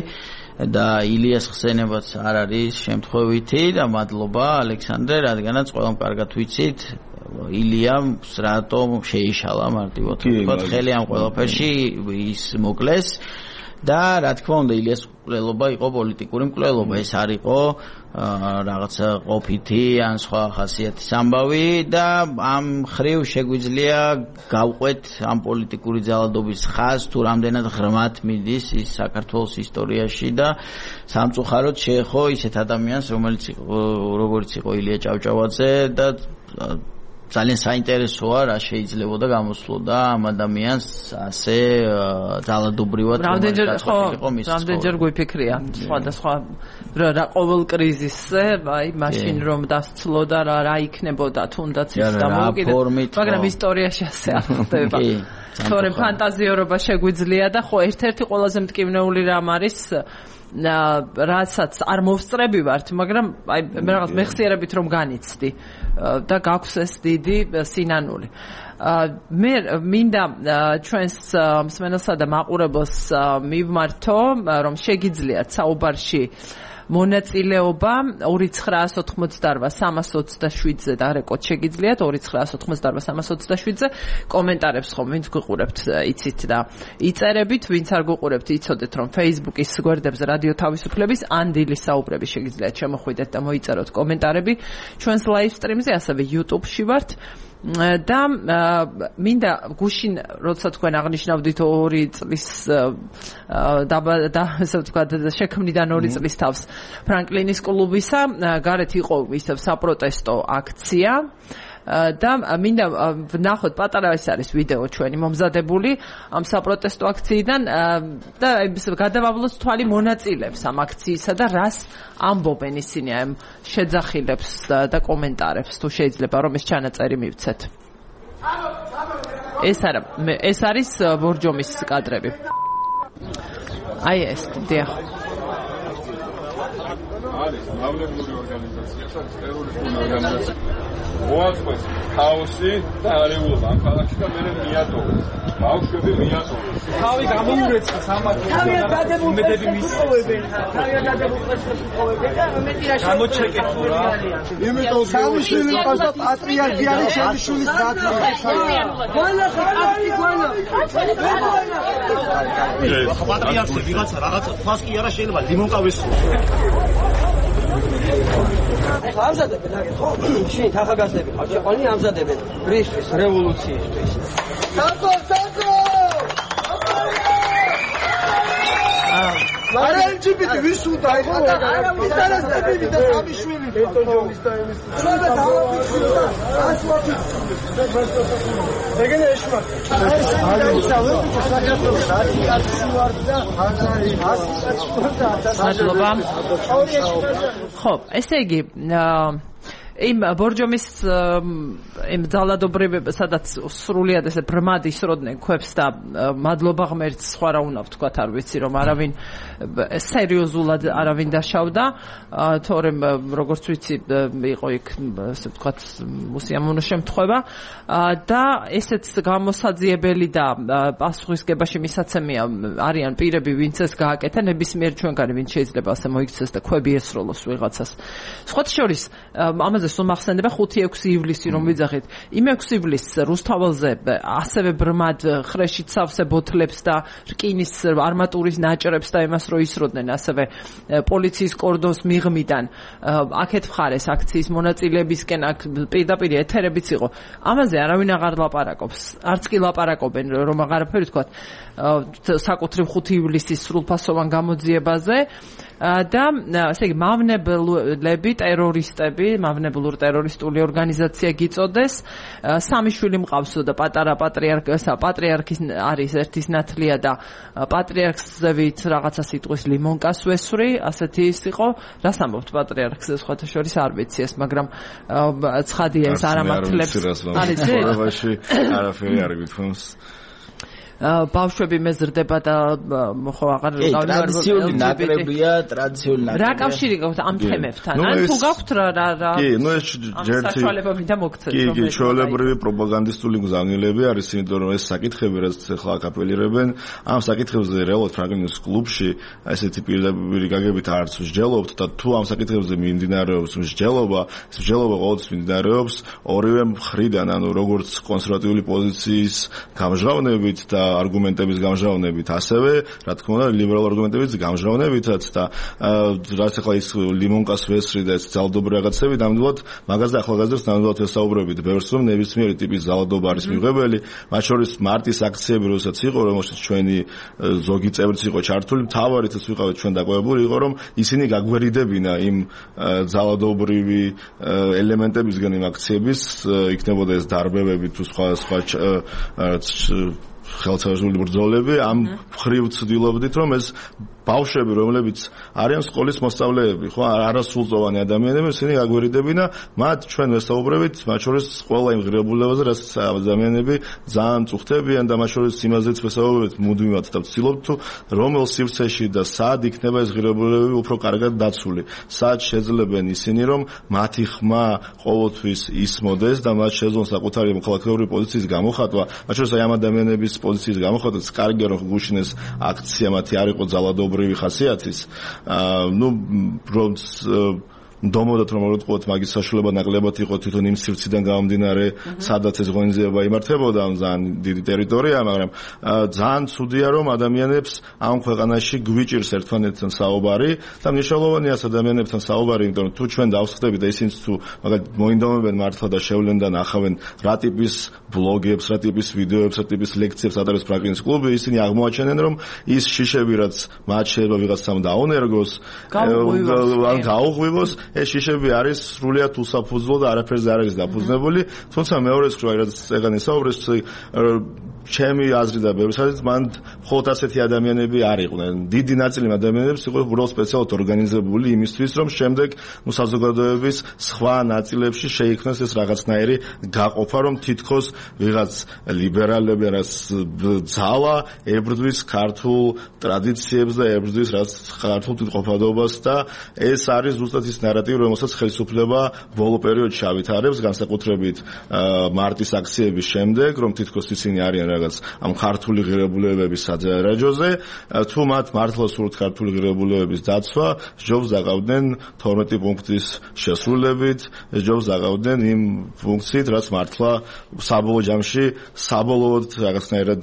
და ილიას ხსენებაც არ არის შემთხვევითი და მადლობა ალექსანდრე, რადგანაც ყველამ კარგად ვიცით ილიამ რატომ შეიშალა მარტივად ვთქვათ ხელი ამ ყველაფერში ის მოკლეს და რა თქმა უნდა ილიას მკვლელობა იყო პოლიტიკური მკვლელობა, ეს არ იყო რაღაცა ყოფითი ან სხვა ხასიათის ამბავი და ამ ხრივ შეგვიძლია გავყვეთ ამ პოლიტიკური ძალადობის ხაზს თუ რამდენად ღრმად მიდის ის საქართველოს ისტორიაში და სამწუხაროდ შეეხო ისეთ ადამიანს როგორც იყო ილია ჭავჭავაძე და ძალიან საინტერესოა რა შეიძლებოდა გამოსვლოდა ამ ადამიანს ასე ძალადობრივად რამდენჯერ გვიფიქრია სხვადასხვა რა ყოველ კრიზისზე აი მაშინ რომ დასცლოდა რა იქნებოდა თუნდაც ის დამოუკიდებლად მაგრამ ისტორიაში ასე არ ხდება თორემ ფანტაზიორობა შეგვიძლია და ხო ერთ-ერთი ყველაზე მტკივნეული რამ არის რასაც არ მოვსწრები ვართ, მაგრამ აი მე რაღაც მეხსიერებით რომ განიცდი და გაქვს ეს დიდი სინანული. მე მინდა ჩვენს მსმენელსა და მაყურებელს მივმართო, რომ შეგიძლიათ საუბარში მონაწილეობა 2988-327-ზე და რეკორდ შეგიძლიათ 2988-327-ზე კომენტარებს ხომ ვინც გიყურებთ იცით და იწერებით, ვინც არ გიყურებთ იცოდეთ რომ Facebook-ის გვერდებზე რადიო თავისუფლების ან დილის საუბრები შეგიძლიათ შემოხვიდეთ და მოიწეროთ კომენტარები ჩვენს live stream-ზე, ასევე YouTube-ში ვართ. და მინდა გუშინ როცა თქვენ აღნიშნავდით 2 წლის და ასე ვთქვათ შექმნიდან 2 წლის თავს ფრანკლინის კლუბისა გარეთ იყო ისევ საპროტესტო აქცია და მინდა ვნახოთ პატარა ეს არის ვიდეო ჩვენი მომზადებული ამ საპროტესტო აქციიდან და გადავავლოთ თვალი მონაწილეებს ამ აქციისა და რას ამბობენ ისინი ამ შეძახილებს და კომენტარებს თუ შეიძლება რომ ეს ჩანაწერი მივცეთ. ეს არის ბორჯომის კადრები. აი ეს დიახ. არის მავლებული ორგანიზაცია, ტერორისტული ორგანიზაცია. მოაწყვეს ქაოსი და არეულობა ამ ქალაქში და მე მიატოვეს. ბავშვები მიატოვეს. თავი გამოურეცხეს ამათ უმეტები მისწოვებენ. თავი დადებულებს მისწოვებენ და მეტი რა გამოჩეკეთ რა. იმიტომ სამშვილი ყავს და პატრიარქი არის შემშვილის ბატონი. ყველა ხალხი ყველა. პატრიარქი ვიღაცა რაღაცა ფას კი არა შეიძლება ლიმონკავის ამზადებენ აგეთ ხო? შენ ახალგაზრდები ხარ, შეყვანი ამზადებენ ბრისთვის, რევოლუციისთვის. საწო! არა LGBT ვის უნდა იყო? არა ინტერესები და სამიშვილი. ეგენ ეშმა. ხო, ესე იგი იმ ბორჯომის იმ ძალადობრივ სადაც სრულიად ესე ბრმად ისროდნენ ქვებს და მადლობა ღმერთს სხვა რა უნდა ვთქვათ არ ვიცი რომ არავინ სერიოზულად არავინ დაშავდა თორემ როგორც ვიცი იყო იქ ასე ვთქვათ მუსიამონო შემთხვევა და ესეც გამოსაძიებელი და პასუხისგებაში მისაცემია არიან პირები ვინც ეს გააკეთა ნებისმიერ ჩვენგანი ვინც შეიძლება ასე მოიქცეს და ქვები ესროლოს ვიღაცას სხვათა შორის ამაზე სულ მახსენდება 5-6 ივლისი რომ ვიძახით. იმ 6 ივლისს რუსთაველზე ასევე ბრმად ხრეშით სავსე ბოთლებს და რკინის არმატურის ნაჭრებს და იმას რო ისროდნენ ასევე პოლიციის კორდონს მიღმიდან აქეთ მხარეს აქციის მონაწილეებისკენ აქ პირდაპირ ეთერებიც იყო. ამაზე არავინ აღარ ლაპარაკობს. არც კი ლაპარაკობენ რომ აღარაფერი თქვათ საკუთრივ 5 ივლისის სრულფასოვან გამოძიებაზე და ესე იგი მავნებლები ტერორისტები მავნებლურ ტერორისტული ორგანიზაცია გიწოდეს სამი შვილი მყავს და პატარა პატრიარქის არის ერთის ნათლია და პატრიარქზე ვით რაღაცა სიტყვის ლიმონკას ვესვრი ასეთი ის იყო რას ამბობთ პატრიარქზე სხვათა შორის არ ვიცი ეს მაგრამ ცხადია ეს არამართლებს არის ცხოვრებაში არაფერი არ გითხოვს ბავშვები მეზრდება და ხო აღარ ტრადიციული ნაკრებია ტრადიციული ნაკრებია რა კავშირი გაქვთ ამ თემებთან ან თუ გაქვთ რა კი ნუ ეს საშუალებები და მოგცეთ კი ჩვეულებრივი პროპაგანდისტული გზავნილები არის იმიტომ რომ ეს საკითხები რაც ახლა აკაპელირებენ ამ საკითხებზე რეალურად ფრანგლინის კლუბში ესეთი პირდაპირი გაგებით არც მსჯელობთ და თუ ამ საკითხებზე მიმდინარეობს მსჯელობა ეს მსჯელობა ყოველთვის მიმდინარეობს ორივე მხრიდან ანუ როგორც კონსერვატიული პოზიციის გამჟღავნებით და არგუმენტების გამჟღავნებით ასევე რა თქმა უნდა ლიბერალურ არგუმენტების გამჟღავნებითაც და რაც ახლა ის ლიმონკას ვესრი და ეს ძალადობრივი რაღაცები ნამდვილად მაგაზე ახალგაზრდებს ნამდვილად ვესაუბრებით ბევრს რომ ნებისმიერი ტიპის ძალადობა არის მიღებელი მათ შორის მარტის აქციები როდესაც იყო რომელშიც ჩვენი ზოგი წევრიც იყო ჩართული მთავარიც ვიყავით ჩვენ დაკვირვებული იყო რომ ისინი გაგვერიდებინა იმ ძალადობრივი ელემენტებისგან იმ აქციების იქნებოდა ეს დარბევები თუ სხვა ხელსაყრელი ბრძოლები ამ ხრივ ცდილობდით რომ ეს ბავშვები რომლებიც არიან სკოლის მოსწავლეები ხო არასრულწლოვანი ადამიანები ისინი გაგვერიდებინა მათ ჩვენ ვესაუბრებით მათ შორის ყველა იმ ღირებულებაზე რაც ადამიანები ძალიან წუხდებიან და მათ შორის იმაზეც ვესაუბრებით მუდმივად და ვცდილობთ თუ რომელ სივრცეში და სად იქნება ეს ღირებულებები უფრო კარგად დაცული სად შეძლებენ ისინი რომ მათი ხმა ყოველთვის ისმოდეს და მათ შეძლონ საკუთარი მოქალაქეური პოზიციის გამოხატვა მათ შორის აი ამ ადამიანების პოზიციის გამოხატვაც კარგია რომ გუშინ ეს აქცია მათი არ იყო ძალადობა მართლობრივი ხასიათის დომოდათ რომ უყოთ მაგის საშუალება ნაკლებად იყო თვითონ იმ სივრციდან გამომდინარე სადაც ეს ღონისძიება იმართებოდა ძალიან დიდი ტერიტორია მაგრამ ძალიან ცუდია რომ ადამიანებს ამ ქვეყანაში გვიჭირს ერთმანეთთან საუბარი და მნიშვნელოვანია ადამიანებთან საუბარი იმიტომ რომ თუ ჩვენ დავსხდებით ისინიც თუ მაგალითად მოინდომებენ მართლა და შევლენ და ნახავენ რა ტიპის ბლოგებს რა ტიპის ვიდეოებს რა ტიპის ლექციებს ატარებს პრაგმატის კლუბი ისინი აღმოაჩენენ რომ ის შიშები რაც მათ შეიძლება ვიღაცამ დაუნერგოს გაუღვივოს ეს შიშები არის სრულიად უსაფუძვლო და არაფერზე არ არის დაფუძნებული თუმცა მეორეს ხრო რაც ეგან ისაუბრეს ჩემი აზრი და ბევრი სადაც მან მხოლოდ ასეთი ადამიანები არ იყვნენ დიდი ნაწილი ადამიანებს იყო უბრალოდ სპეციალურად ორგანიზებული იმისთვის რომ შემდეგ საზოგადოების სხვა ნაწილებში შეიქმნას ეს რაღაცნაირი გაყოფა რომ თითქოს ვიღაც ლიბერალები რაც ძალა ებრძვის ქართულ ტრადიციებს და ებრძვის რაც ქართულ თვითყოფადობას და ეს არის ზუსტად ის ნარატივი რომელსაც ხელისუფლება ბოლო პერიოდში ავითარებს განსაკუთრებით მარტის აქციების შემდეგ რომ თითქოს ისინი არიან რაღაც ამ ქართული ღირებულებების საჯარაჯოზე თუ მათ მართლა სურთ ქართული ღირებულებების დაცვა ჯობს დაყავდნენ 12 პუნქტის შესრულებით ჯობს დაყავდნენ იმ ფუნქციით რაც მართლა საბოლოო ჯამში საბოლოოდ რაღაცნაირად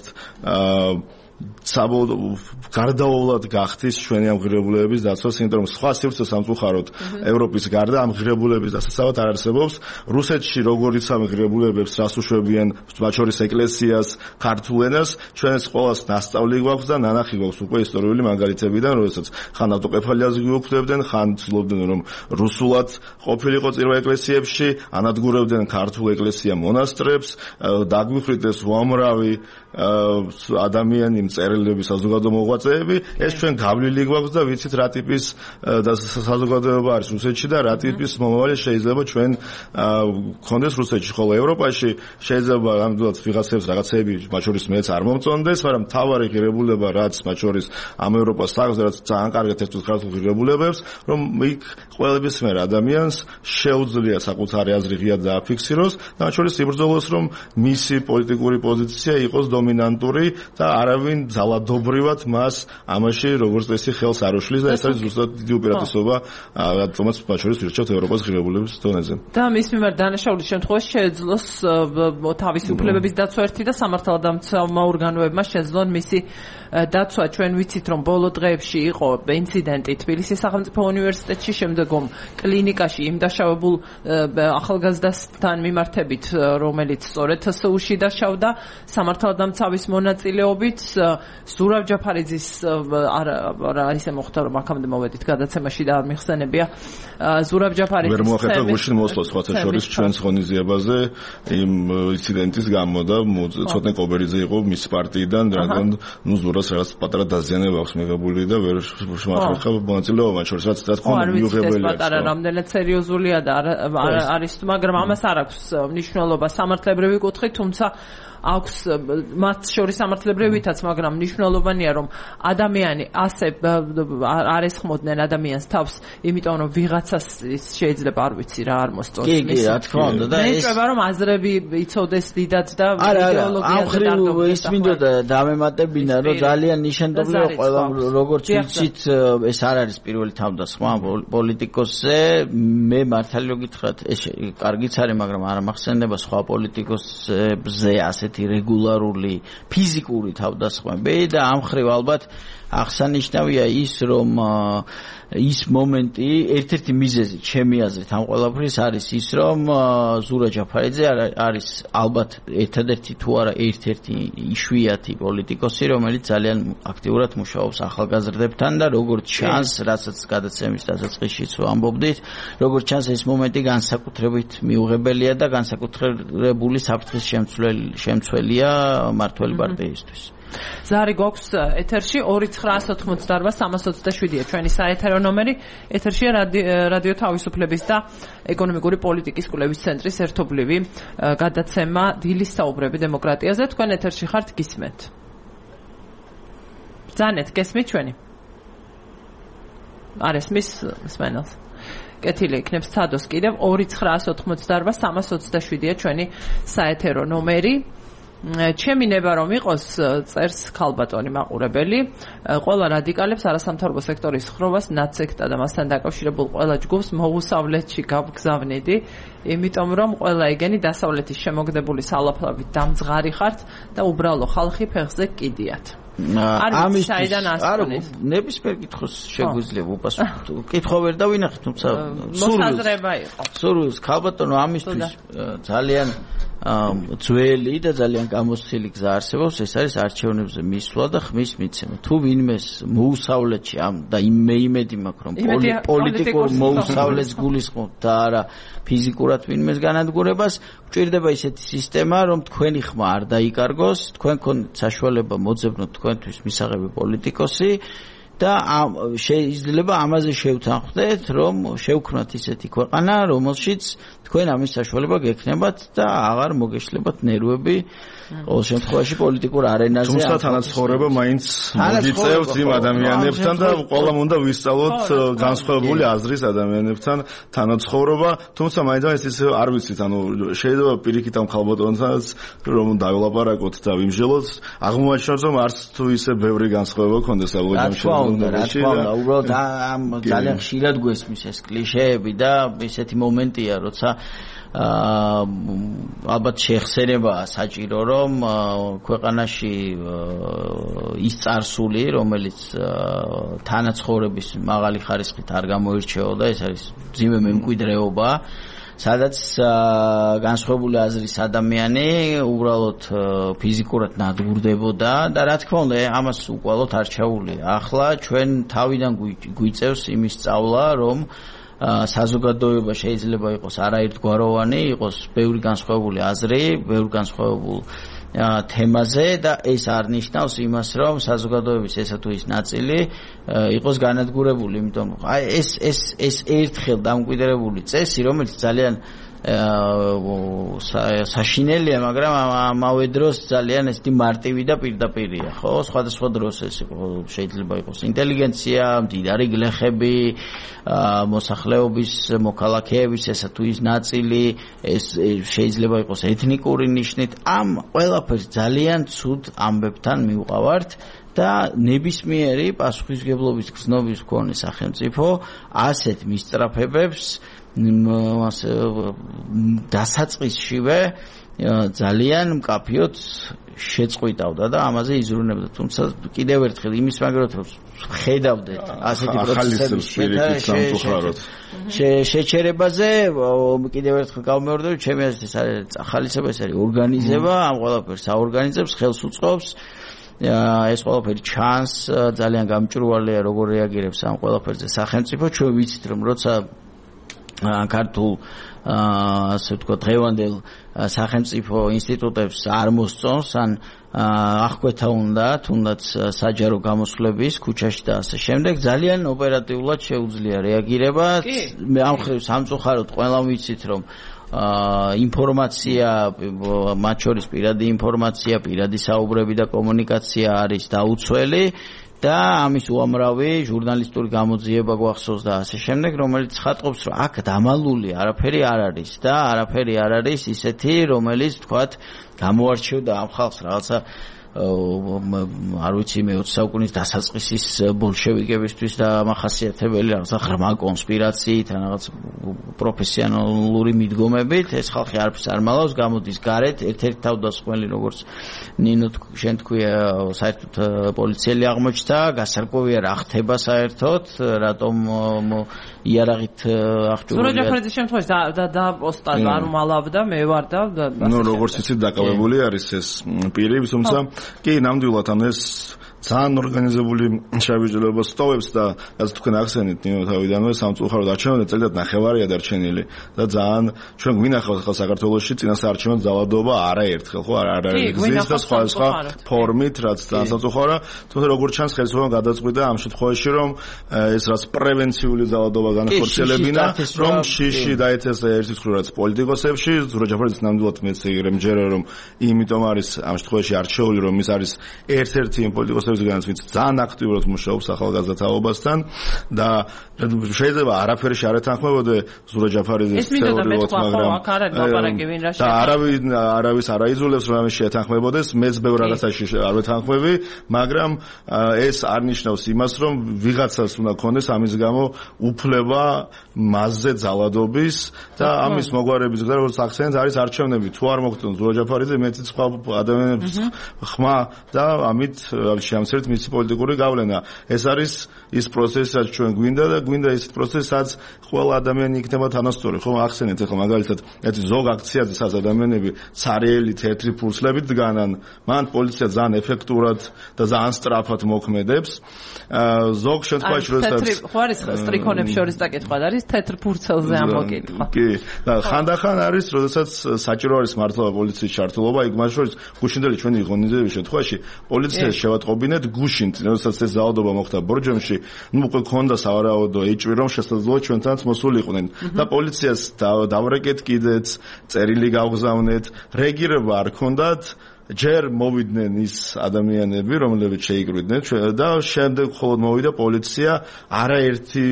გარდაუვალად გახდის ჩვენი ამ ღირებულებების დაცვას, იმიტომ რომ სხვა სივრცე სამწუხაროდ ევროპის გარდა ამ ღირებულების დასაცავად არ არსებობს. რუსეთში როგორიც ამ ღირებულებებს რას უშვებიან, მათ შორის ეკლესიას, ქართულ ენას, ჩვენს ყოველს ნასწავლი გვაქვს და ნანახი გვაქვს უკვე ისტორიული მაგალითებიდან, როდესაც ხან ავტოკეფალიას გვიუქმდებდნენ, ხან ცდილობდნენ რომ რუსულად ყოფილიყო წირვა ეკლესიებში, ანადგურებდნენ ქართულ ეკლესია მონასტრებს, დაგვიხრიდეს უამრავი ადამიანი მწერლები, საზოგადო მოღვაწეები, ეს ჩვენ გავლილი გვაქვს და ვიცით რა ტიპის საზოგადოება არის რუსეთში და რა ტიპის მომავალი შეიძლება ჩვენ გქონდეს რუსეთში, ხოლო ევროპაში შეიძლება ამდენად ვიღაცებს რაღაცები, მათ შორის მეც არ მომწონდეს, მაგრამ მთავარი ღირებულება რაც მათ შორის ამ ევროპას აქვს, რაც ძალიან კარგად ერთად ქართულ ღირებულებებს, რომ იქ ყველებისმიერ ადამიანს შეუძლია საკუთარი აზრი ღიად დააფიქსიროს და მათ შორის იბრძოლოს, რომ მისი პოლიტიკური პოზიცია იყოს დომინანტური და არავინ ძალადობრივად მას ამაში როგორც წესი ხელს არ უშლის და ეს არის ზუსტად დიდი უპირატესობა რადგანაც მათ შორის ვირჩევთ ევროპას ღირებულების დონეზე. და მის მიმართ დანაშაულის შემთხვევაში შეეძლოს თავისი უფლებების დაცვა ერთი და სამართალდამცავმა ორგანოებმა შეძლონ მისი დაცვა. ჩვენ ვიცით რომ ბოლო დღეებში იყო ინციდენტი თბილისის სახელმწიფო უნივერსიტეტში, შემდეგომ კლინიკაში იმ დაშავებულ ახალგაზრდასთან მიმართებით, რომელიც სწორედ TSU-ში დაშავდა სამართალდამცავის მონაწილეობით. ზურავ ჯაფარიძის არა ისე მოხდა რომ აქამდე მოვედით გადაცემაში და არ მიხსენებია. ზურავ ჯაფარიძის ვერ მოახერხა გუშინ მოსვლა სხვათა შორის ჩვენს ღონისძიებაზე იმ ინციდენტის გამო და ცოტნე კობერიძე იყო მის პარტიიდან, რადგან ზურას რაღაც პატარა დაზიანება აქვს მიღებული და ვერ მოახერხა მონაწილეობა მათ შორის რაც თქმა უნდა მიუღებელია. პატარა რამდენად სერიოზულია და არის, მაგრამ ამას არ აქვს მნიშვნელობა სამართლებრივი კუთხით, თუმცა აქვს მათ შორის სამართლებრივითაც, მაგრამ მნიშვნელოვანია რომ ადამიანი ასე არ ესხმოდნენ ადამიანს თავს, იმიტომ რომ ვიღაცას შეიძლება არ ვიცი რა არ მოსწონს. კი, რა თქმა უნდა და ეს შეიძლება რომ აზრები იცოდეს დიდად და იდეოლოგიაზე დარგობდეს. ეს მინდოდა დამემატებინა რომ ძალიან ნიშანდობლია ყველა როგორც ვიცით ეს არ არის პირველი თავდასხმა პოლიტიკოსზე. მე მართალი გითხრათ ეს კარგიც არის, მაგრამ არ მახსენდება სხვა პოლიტიკოსებზე ასეთი რეგულარული ფიზიკური თავდასხმები და ამ ხრივ ალბათ აღსანიშნავია ის რომ ის მომენტი ერთ-ერთი მიზეზი ჩემი აზრით ამ ყველაფრის არის ის რომ ზურა ჯაფარიძე არის ალბათ ერთადერთი თუ არა ერთ-ერთი იშვიათი პოლიტიკოსი რომელიც ძალიან აქტიურად მუშაობს ახალგაზრდებთან და როგორც ჩანს რასაც გადაცემის დასაწყისშიც ვამბობდით როგორც ჩანს ეს მომენტი განსაკუთრებით მიუღებელია და განსაკუთრებული საფრთხის შემცველია მართველი პარტიისთვის. ზარი გვაქვს ეთერში 2988327-ია ჩვენი საეთერო ნომერი. ეთერშია რადიო თავისუფლების და ეკონომიკური პოლიტიკის კვლევის ცენტრის ერთობლივი გადაცემა დილის საუბრები დემოკრატიაზე. თქვენ ეთერში ხართ, გისმენთ. ზანეთ, გესმით ჩვენი? არ ესმის მსმენელს. კეთილი იქნებს ცადოს კიდევ 2988327-ია ჩვენი საეთერო ნომერი. ჩემი ნება რომ იყოს წერს ქალბატონი მაყურებელი ყველა რადიკალებს არასამთავრობო სექტორის ხრობას ნაცსექტა და მასთან დაკავშირებულ ყველა ჯგუფს მოუსავლეთში გავგზავნიდი იმიტომ რომ ყველა ეგენი დასავლეთის შემოგდებული სალაფლავით დამძღარი ხართ და უბრალო ხალხი ფეხზე კიდიათ ამის საიდან ასწონის ნებისმიერ კითხოს შეგვიძლია უპასუხოთ კითხვა ვერ დავინახეთ თუმცა მოსაზრება იყო სურვილს ქალბატონო ამისთვის ძალიან ძველი და ძალიან გამოცდილი გზა არსებობს ეს არის არჩევნებზე მისვლა და ხმის მიცემა თუ ვინმეს მოუსავლეთში და იმედი მაქვს რომ პოლიტიკურ მოუსავლეთს გულისხმობთ და არა ფიზიკურად ვინმეს განადგურებას გვჭირდება ისეთი სისტემა რომ თქვენი ხმა არ დაიკარგოს თქვენ გქონდეთ საშუალება მოძებნოთ თქვენთვის მისაღები პოლიტიკოსი და შეიძლება ამაზე შევთანხმდეთ რომ შევქმნათ ისეთი ქვეყანა რომელშიც თქვენ ამის საშუალება გექნებათ და აღარ მოგეშლებათ ნერვები ყოველ შემთხვევაში პოლიტიკურ არენაზე თუმცა თანაცხოვრება მაინც მოგიწევთ იმ ადამიანებთან და ყველამ უნდა ვისწავლოთ განსხვავებული აზრის ადამიანებთან თანაცხოვრება თუმცა მაინც ისე არ ვიცით ანუ შეიძლება პირიქით ამ ქალბატონთანაც რომ დავილაპარაკოთ და ვიმსჯელოთ აღმოაჩინოთ რომ არც თუ ისე ბევრი განსხვავება ქონდეს ალბათ უბრალოდ ამ ძალიან ხშირად გვესმის ეს კლიშეები და ესეთი მომენტია როცა ალბათ შეხსენებაა საჭირო რომ ქვეყანაში ის წარსული რომელიც თანაცხოვრების მაღალი ხარისხით არ გამოირჩეოდა ეს არის ძიმე მემკვიდრეობა სადაც განსხვავებული აზრის ადამიანი უბრალოდ ფიზიკურად ნადგურდებოდა და რა თქმა უნდა ამას უკვალოდ არ ჩაულია ახლა ჩვენ თავიდან გვიწევს იმის სწავლა რომ საზოგადოება შეიძლება იყოს არაერთგვაროვანი იყოს ბევრი განსხვავებული აზრი ბევრი განსხვავებული თემაზე და ეს არ ნიშნავს იმას რომ საზოგადოების ესა თუ ის ნაწილი იყოს განადგურებული იმიტომ აი ეს ერთხელ დამკვიდრებული წესი რომელიც ძალიან საშინელია მაგრამ ამავე დროს ძალიან ესეთი მარტივი და პირდაპირია ხო სხვადასხვა დროს ეს შეიძლება იყოს ინტელიგენცია მდიდარი გლეხები მოსახლეობის მოქალაქეების ესა თუ ის ნაწილი ეს შეიძლება იყოს ეთნიკური ნიშნით ამ ყველაფერს ძალიან ცუდ ამბებთან მივყავართ და ნებისმიერი პასუხისმგებლობის გზნობის მქონე სახელმწიფო ასეთ მისწრაფებებს დასაწყისშივე ძალიან მკაფიოდ შეწყვიტავდა და ამაზე იზრუნებდა თუმცა კიდევ ერთხელ იმის მაგალითად ხედავდეთ ასეთი პროცესების შეჩერებაზე კიდევ ერთხელ გავმეორდები ჩემი აზრით ეს არის ახალისება ეს არის ორგანიზება ამ ყველაფერს აორგანიზებს ხელს უწყობს ეს ყველაფერი ჩანს ძალიან გამჭვირვალეა როგორ რეაგირებს ამ ყველაფერზე სახელმწიფო ჩვენ ვიცით რომ როცა ქართულ ასე ვთქვათ დღევანდელ სახელმწიფო ინსტიტუტებს არ მოსწონს ან აღკვეთა უნდა თუნდაც საჯარო გამოსვლების ქუჩაში და ასე შემდეგ ძალიან ოპერატიულად შეუძლია რეაგირება მე ამ ხრივ სამწუხაროდ ყველამ ვიცით რომ ინფორმაცია მათ შორის პირადი ინფორმაცია პირადი საუბრები და კომუნიკაცია არის დაუცველი და ამის უამრავი ჟურნალისტური გამოძიება გვახსოვს და ასე შემდეგ რომელიც ხატყობს რომ აქ დამალული არაფერი არ არის და არაფერი არ არის ისეთი რომელიც თქვათ გამოარჩევდა ამ ხალხს რაღაცა არ ვიცი მე 20 საუკუნის დასაწყისის ბოლშევიკებისთვის და მახასიათებელი რაღაცა ღრმა კონსპირაციით ან რაღაც პროფესიონალური მიდგომებით ეს ხალხი არაფერს არ მალავს გამოდის გარეთ ერთ-ერთი თავდასხმელი როგორც ნინო შენ თქვია საერთოდ პოლიციელი აღმოჩნდა გასარკვევია რა ხდება საერთოდ რატომ იარაღით აღჭურვილია სურაჯაფრიძის შემთხვევაში და პოსტად არ უმალავდა მე ვარ და ნუ როგორც იცით დაკავებული არის ეს პირი თუმცა კი ნამდვილად ამ ეს ძალიან ორგანიზებული შევიჯლება სტოვებს და რაც თქვენ ახსენეთ ნინო თავიდანვე სამწუხაროდ არჩევნები წელიწად ნახევარია დარჩენილი და ძალიან ჩვენ გვინახავთ ხალხ საქართველოში წინასაარჩევნო ძალადობა არაერთხელ ხო არ არის გზის და სხვა ფორმით რაც ძალიან სამწუხაროა თუმცა როგორც ჩანს ხელისუფლებამ გადაწყვიტა ამ შემთხვევაში რომ ეს რაც პრევენციული ძალადობა განახორციელებინა რომ შიში დაეთესა ერთის მხრივ რაც პოლიტიკოსებში სურაჯაფრიძის ნამდვილად მეც მჯერა რომ იმიტომ არის ამ შემთხვევაში არჩეული რომ ის არის ერთ-ერთი იმ პოლიტიკოსების პროცესებისგანაც, ვინც ძალიან აქტიურად მუშაობს ახალგაზრდა თაობასთან და შეიძლება არაფერი არ ეთანხმებოდე ზურა ჯაფარიძის თეორიულად, მაგრამ და არავის არ აიძულებს რომ ამის შეეთანხმებოდეს, მეც ბევრ რაღაცაში არ ვეთანხმები, მაგრამ ეს არ ნიშნავს იმას, რომ ვიღაცას უნდა ქონდეს ამის გამო უფლება მასზე ძალადობის და ამის მოგვარების გზა როგორც ახსენეთ არის არჩევნები. თუ არ მოგწონს ზურა ჯაფარიძე, მეც სხვა ადამიანებს ხმა და ამით შეამცირეთ მისი პოლიტიკური გავლენა. ეს არის ის პროცესი, რაც ჩვენ გვინდა ის პროცესი, სადაც ყველა ადამიანი იქნება თანასწორი. ხომ ახსენეთ ახლა მაგალითად ერთი ზოგ აქციაზე სადაც ადამიანები ცარიელი თეთრი ფურცლებით დგანან, მან პოლიცია ძალიან ეფექტურად და ძალიან სწრაფად მოქმედებს. ზოგ შემთხვევაში როდესაც ხო არის სტრიქონებს შორის საკითხვა არის თეთრ ფურცელზე ამოკითხვა. კი, და ხანდახან არის როდესაც საჭირო არის მართლა პოლიციის ჩართულობა, იქ მათ შორის გუშინდელი ჩვენი ღონისძიების შემთხვევაში პოლიციას შევატყობინეთ გუშინ, როდესაც ეს ძალადობა მოხდა ბორჯომში, უკვე ქონდა სავარაუდო ეჭვი რომ შესაძლოა ჩვენთანაც მოსულიყვნენ და პოლიციას დავრეკეთ კიდეც, წერილი გავგზავნეთ, რეაგირება არ ქონდათ. ჯერ მოვიდნენ ის ადამიანები, რომლებიც შეიკრიბნენ და შემდეგ მხოლოდ მოვიდა პოლიცია, არაერთი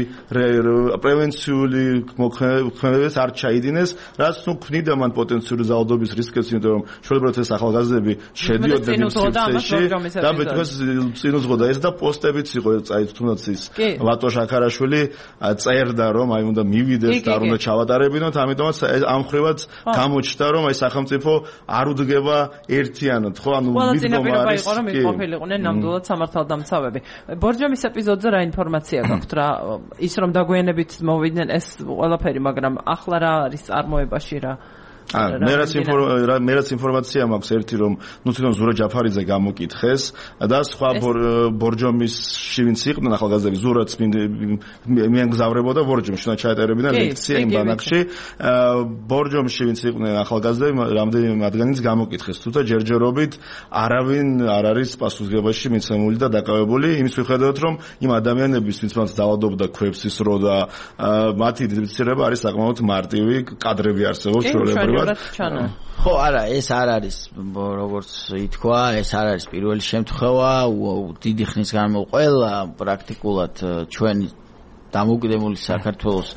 პრევენციული მოქმედებებს არ ჩაიდინეს, რაც ნუ ქმნიდა მან პოტენციური ძალადობის რისკებს, იმიტომ რომ შეიძლება ეს ახალგაზრდები შედიოდნენ სივრცეში და მეთქოს წინუძღოდა ეს და პოსტებიც იყო, წაით თუნდაც ის ვატო შაქარაშვილი წერდა რომ აი უნდა მივიდეს და არ უნდა ჩავატარებინოთ, ამიტომაც ამ ხრივაც გამოჩნდა რომ აი სახელმწიფო არ უდგება ერთი ხო ანუ მიდგომა იყო რომ იყოფილიყვნენ ნამდვილად სამართალდამცავები. ბორჯომის ეპიზოდზე რა ინფორმაცია გაქვთ რა ის რომ დაგვიანებით მოვიდნენ ეს ყველაფერი, მაგრამ ახლა რა არის წარმოებაში რა მერაც ინფორმაცია მაქვს ერთი რომ ნუ თვითონ ზურა ჯაფარიძე გამოკითხეს და სხვა ბორჯომისში ვინც იყვნენ ახალგაზრდები ზურაც მიანგზავრებოდა ბორჯომში და ჩაეტარებინა ლექცია იმ ბანაკში ბორჯომში ვინც იყვნენ ახალგაზრდები რამდენიმე მათგანიც გამოკითხეს თუმცა ჯერჯერობით არავინ არ არის პასუხისმგებაში მიცემული და დაკავებული იმის მიხედავთ რომ იმ ადამიანების ვინც მას დაავადობდა ქვევსის რო და მათი იდენტიფიცირება არის საკმაოდ მარტივი კადრები არსებობს ჩვეულებრივ ხო არა ეს არ არის როგორც ითქვა ეს არ არის პირველი შემთხვევა დიდი ხნის განმავლობაში პრაქტიკულად ჩვენი დამოუკიდებელი საქართველოს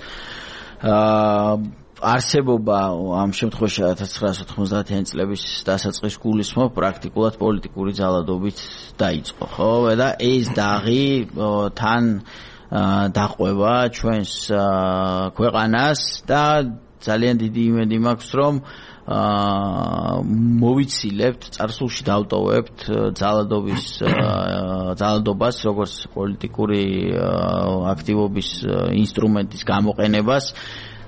არსებობა ამ შემთხვევაში 1990-იანი წლების დასაწყის გულისხმობ პრაქტიკულად პოლიტიკური ძალადობით დაიწყო ხო და ეს დაღი თან დაყვება ჩვენს ქვეყანას და ძალიან დიდი იმედი მაქვს რომ მოვიცილებთ წარსულში დავტოვებთ ძალადობას როგორც პოლიტიკური აქტივობის ინსტრუმენტის გამოყენებას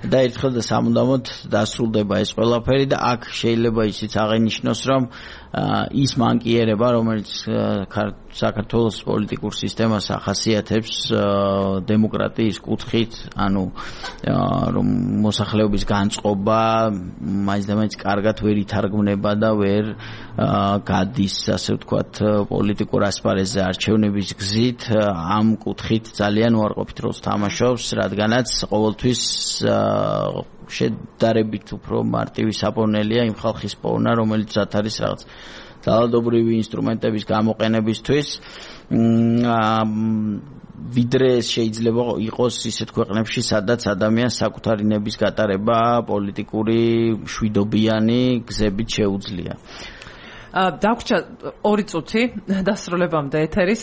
და ერთხელ და სამუდამოდ დასრულდება ეს ყველაფერი და აქ შეიძლება ისიც აღინიშნოს რომ ის მანკიერება რომელიც საქართველოს პოლიტიკურ სისტემას ახასიათებს დემოკრატიის კუთხით ანუ რომ მოსახლეობის განწყობა მაინც კარგად ვერ ითარგმნება და ვერ გადის ასე ვთქვათ პოლიტიკურ ასპარეზზე არჩევნების გზით ამ კუთხით ძალიან უარყოფით როლს თამაშობს რადგანაც ყოველთვის შედარებით უფრო მარტივი საპოვნელია იმ ხალხის პოვნა რომელიც არის რაღაც ძალადობრივი ინსტრუმენტების გამოყენებისთვის ვიდრე შეიძლება იყოს ისეთ ქვეყნებში სადაც ადამიანს საკუთარი ნების გატარება პოლიტიკური მშვიდობიანი გზებით შეუძლია დაგვრჩა 2 წუთი დასრულებამდე ეთერის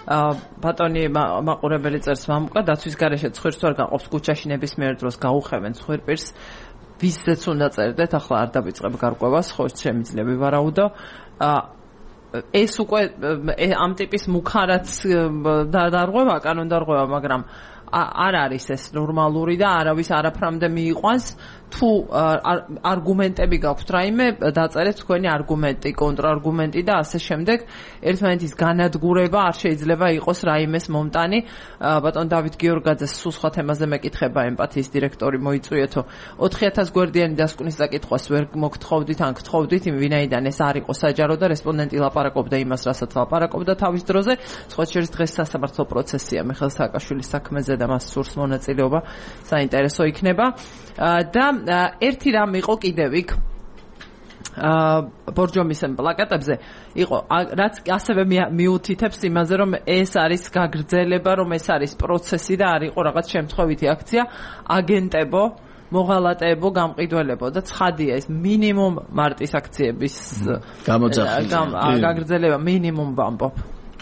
ბატონი მაყურებელი წერს მამუკა დაცვის გარეშე ცხვირს არ გაყოფს ქუჩაში ნებისმიერ დროს გაუხევენ ცხვირპირს ვისაც უნდა წერდეთ ახლა არ დავიწყებ გარკვევას ხო შემიძლია ვივარაუდო ეს უკვე ამ ტიპის მუქარაც დარღვევა კანონდარღვევა მაგრამ არ არის ეს ნორმალური და არავის არაფრამდე მიიყვანს თუ არგუმენტები გაქვთ რაიმე დაწერეთ თქვენი არგუმენტი კონტრარგუმენტი და ასე შემდეგ ერთმანეთის განადგურება არ შეიძლება იყოს რაიმეს მომტანი ბატონ დავით გიორგაძეს სულ სხვა თემაზე მეკითხება ემპათიის დირექტორი მოიწვიეთო 4000 გვერდიანი დასკვნის საკითხვას ვერ მოგთხოვდით ან გთხოვდით ვინაიდან ეს არ იყო საჯარო და რესპონდენტი ლაპარაკობდა იმას რასაც ლაპარაკობდა თავის დროზე სხვა შორის დღეს სასამართლო პროცესია მიხეილ სააკაშვილის საქმეზე და მას სურს მონაწილეობა საინტერესო იქნება და ერთი რამ იყო კიდევ იქ ბორჯომის პლაკატებზე იყო რაც ასევე მიუთითებს იმაზე რომ ეს არის გაგრძელება რომ ეს არის პროცესი და არ იყო რაღაც შემთხვევითი აქცია აგენტებო მოღალატეებო გამყიდველებო და ცხადია ეს მინიმუმ მარტის აქციების გაგრძელება მინიმუმ ვამბობ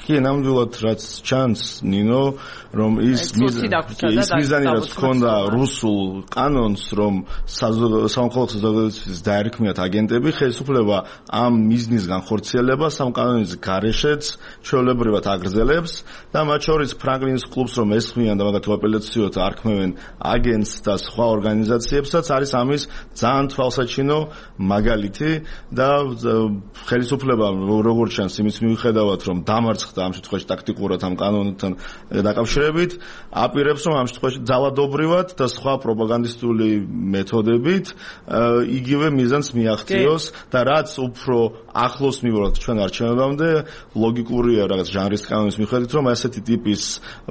კი ნამდვილად რაც ჩანს ნინო რომ ის მიზანი რაც ჰქონდა რუსულ კანონს რომ სამოქალაქო საზოგადოების დაერქმიათ აგენტები ხელისუფლება ამ მიზნისგან ხორციელებას ამ კანონის გარეშეც ჩვეულებრივად აგრძელებს და მათ შორის ფრანკლინის კლუბს რომ ესხმიან და მაგათ უაპელაციოდ არქმევენ აგენტს და სხვა ორგანიზაციებსაც არის ამის ძალიან თვალსაჩინო მაგალითი და ხელისუფლება როგორც ჩანს იმის მიუხედავად რომ დამარცხდა ამ შემთხვევაში ტაქტიკურად ამ კანონთან დაკავშირებით აპირებს რომ ამ შემთხვევაში ძალადობრივად და სხვა პროპაგანდისტული მეთოდებით იგივე მიზანს მიაღწიოს და რაც უფრო ახლოს მივიღოთ ჩვენ არჩევნებამდე ლოგიკურია რაღაც ჟანრის კანონის მიხედვით რომ ასეთი ტიპის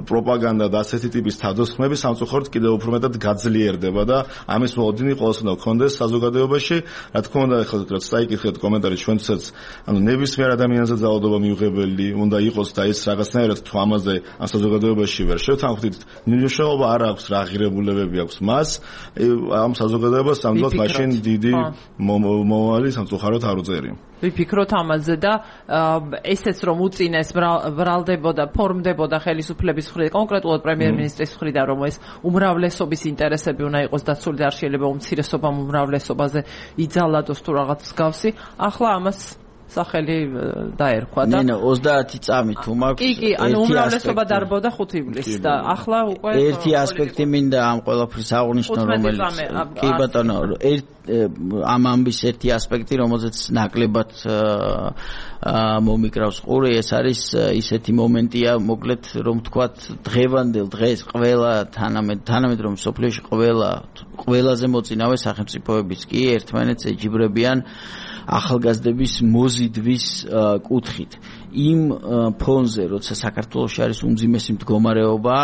პროპაგანდა და ასეთი ტიპის თავდასხმები სამწუხაროდ კიდევ უფრო მეტად გაძლიერდება და ამის მოლოდინი ყოველს უნდა გქონდეს საზოგადოებაში რა თქმა უნდა ახლა რაც საიკითხეთ კომენტარი ჩვენცაც ანუ ნებისმიერ ადამიანზე ძალადობა მიუღებელი უნდა იყოს და ეს რაღაცნაირად თუ ამაზე ამ საზოგადოებაში ვერ შევთანხმდით მნიშვნელობა არ აქვს რა ღირებულებები აქვს მას ამ საზოგადოებას ამბობთ მაშინ დიდი მომავალი სამწუხაროდ არ უწერია ვიფიქროთ ამაზე და ესეც რომ უწინეს ბრალდებოდა ფორმდებოდა ხელისუფლების მხრიდან კონკრეტულად პრემიერ-მინისტრის მხრიდან რომ ეს უმრავლესობის ინტერესები უნდა იყოს დაცული და არ შეიძლება უმცირესობამ უმრავლესობაზე იძალადოს თუ რაღაც მსგავსი ახლა ამას სახელი დაერქვა და ნინო 30 წამი თუ მაქვს კი ანუ უმრავლესობა დარბოდა 5 ივლისს და ახლა უკვე ერთი ასპექტი მინდა ამ ყველაფრის აღნიშნო რომელიც კი ბატონო ამ ამბის ერთი ასპექტი რომელზეც ნაკლებად მომიკრავს ყური ეს არის ისეთი მომენტია მოკლედ რომ თქვათ დღევანდელ დღეს ყველა თანამედ რომ სოფლიოში ყველაზე მოწინავე სახელმწიფოებიც კი ერთმანეთს ეჯიბრებიან ახალგაზრდების მოზიდვის კუთხით იმ ფონზე როცა საქართველოში არის უმძიმესი მდგომარეობა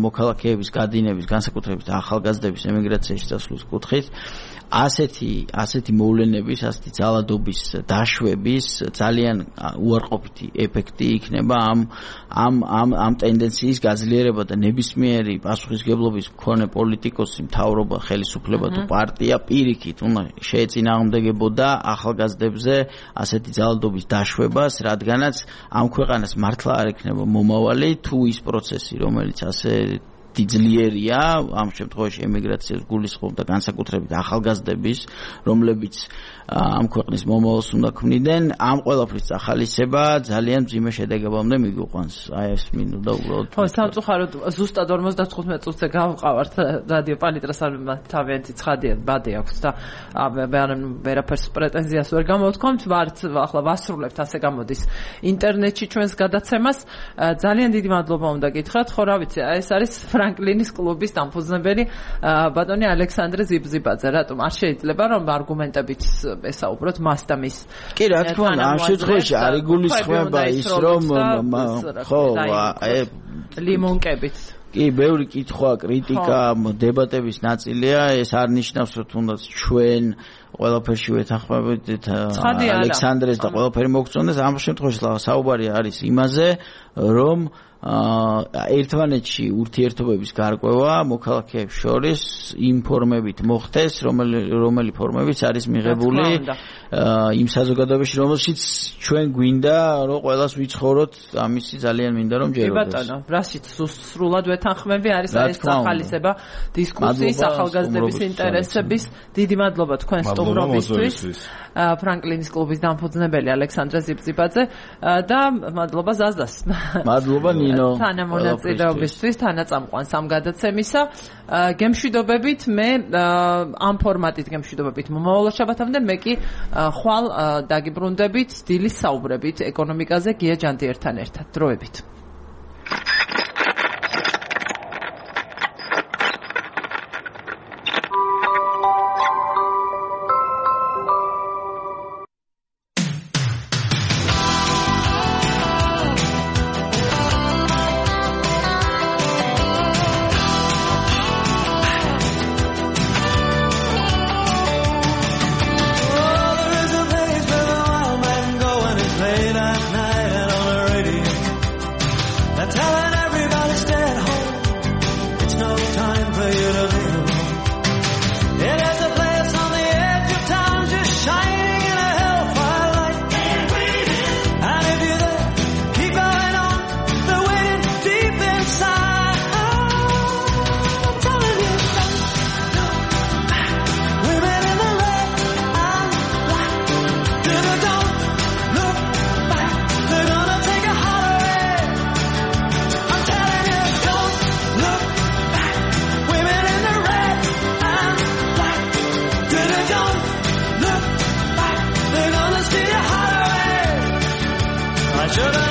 მოქალაქეების გადინების განსაკუთრებით ახალგაზრდების ემიგრაციაში წასვლის კუთხით ასეთი მოვლენების, ასეთი ძალადობის დაშვების ძალიან უარყოფითი ეფექტი იქნება ამ ტენდენციის გაძლიერება და ნებისმიერი პასუხისმგებლობის მქონე პოლიტიკოსი, მთავრობა, ხელისუფლება თუ პარტია პირიქით უნდა შეეწინააღმდეგებოდა ახალგაზრდებზე ასეთი ძალადობის დაშვებას, რადგანაც ამ ქვეყანას მართლა არ ექნება მომავალი თუ ის პროცესი, რომელიც ასე ძლიერია ამ შემთხვევაში ემიგრაციას გულისხმობ და განსაკუთრებით ახალგაზრდების რომლებიც ამ ქვეყნის მომავალს უნდა ქმნიდნენ ამ ყველაფრის ახალისება ძალიან მძიმე შედეგებამდე მიგვიყვანს აი ეს მინდოდა უბრალოდ ხო სამწუხაროდ ზუსტად 55 წუთზე გავყავართ რადიო პალიტრას თავიანთი ცხადია ბადე აქვს და ვერაფერს პრეტენზიას ვერ გამოვთქვამთ ვართ ახლა ვასრულებთ ასე გამოდის ინტერნეტში ჩვენს გადაცემას ძალიან დიდი მადლობა უნდა გითხრათ ხო რა ვიცი ეს არის ფრანკლინის კლუბის დამფუძნებელი ბატონი ალექსანდრე ზიბზიბაძე რატომ არ შეიძლება რომ არგუმენტებით ესაუბროთ მას და მის კი რა თქმა უნდა ამ შემთხვევაში არ იგულისხმება ის რომ ხო ლიმონკებით კი ბევრი კითხვა კრიტიკა დებატების ნაწილია ეს არ ნიშნავს რომ თუნდაც ჩვენ ყველაფერში ვეთანხმებით ალექსანდრეს და ყველაფერი მოგწონდეს ამ შემთხვევაში საუბარი არის იმაზე რომ ერთმანეთში ურთიერთობების გარკვევა მოქალაქეებს შორის იმ ფორმებით მოხდეს, რომელი ფორმებიც არის მიღებული იმ საზოგადოებაში, რომელშიც ჩვენ გვინდა რომ ყველას ვიცხოვროთ, ამისი ძალიან მინდა რომ ჯეროდეს. კი ბატონო, რაშიც სრულად ვეთანხმები არის ეს ახალისება დისკუსიის ახალგაზრდების ინტერესების. დიდი მადლობა თქვენ სტუმრობისთვის. ფრანკლინის კლუბის დამფუძნებელი ალექსანდრე ზიბზიბაძე და მადლობა ზაზდას. მადლობა ნინო. თანამონაწილეობისთვის, თანაწამყვანს ამ გადაცემისა. გემშვიდობებით მე ამ ფორმატით გემშვიდობებით მომავალ შაბათამდე მე კი ხვალ დაგიბრუნდებით დილის საუბრებით ეკონომიკაზე გია ჯანდიერთან ერთად. დროებით. Jara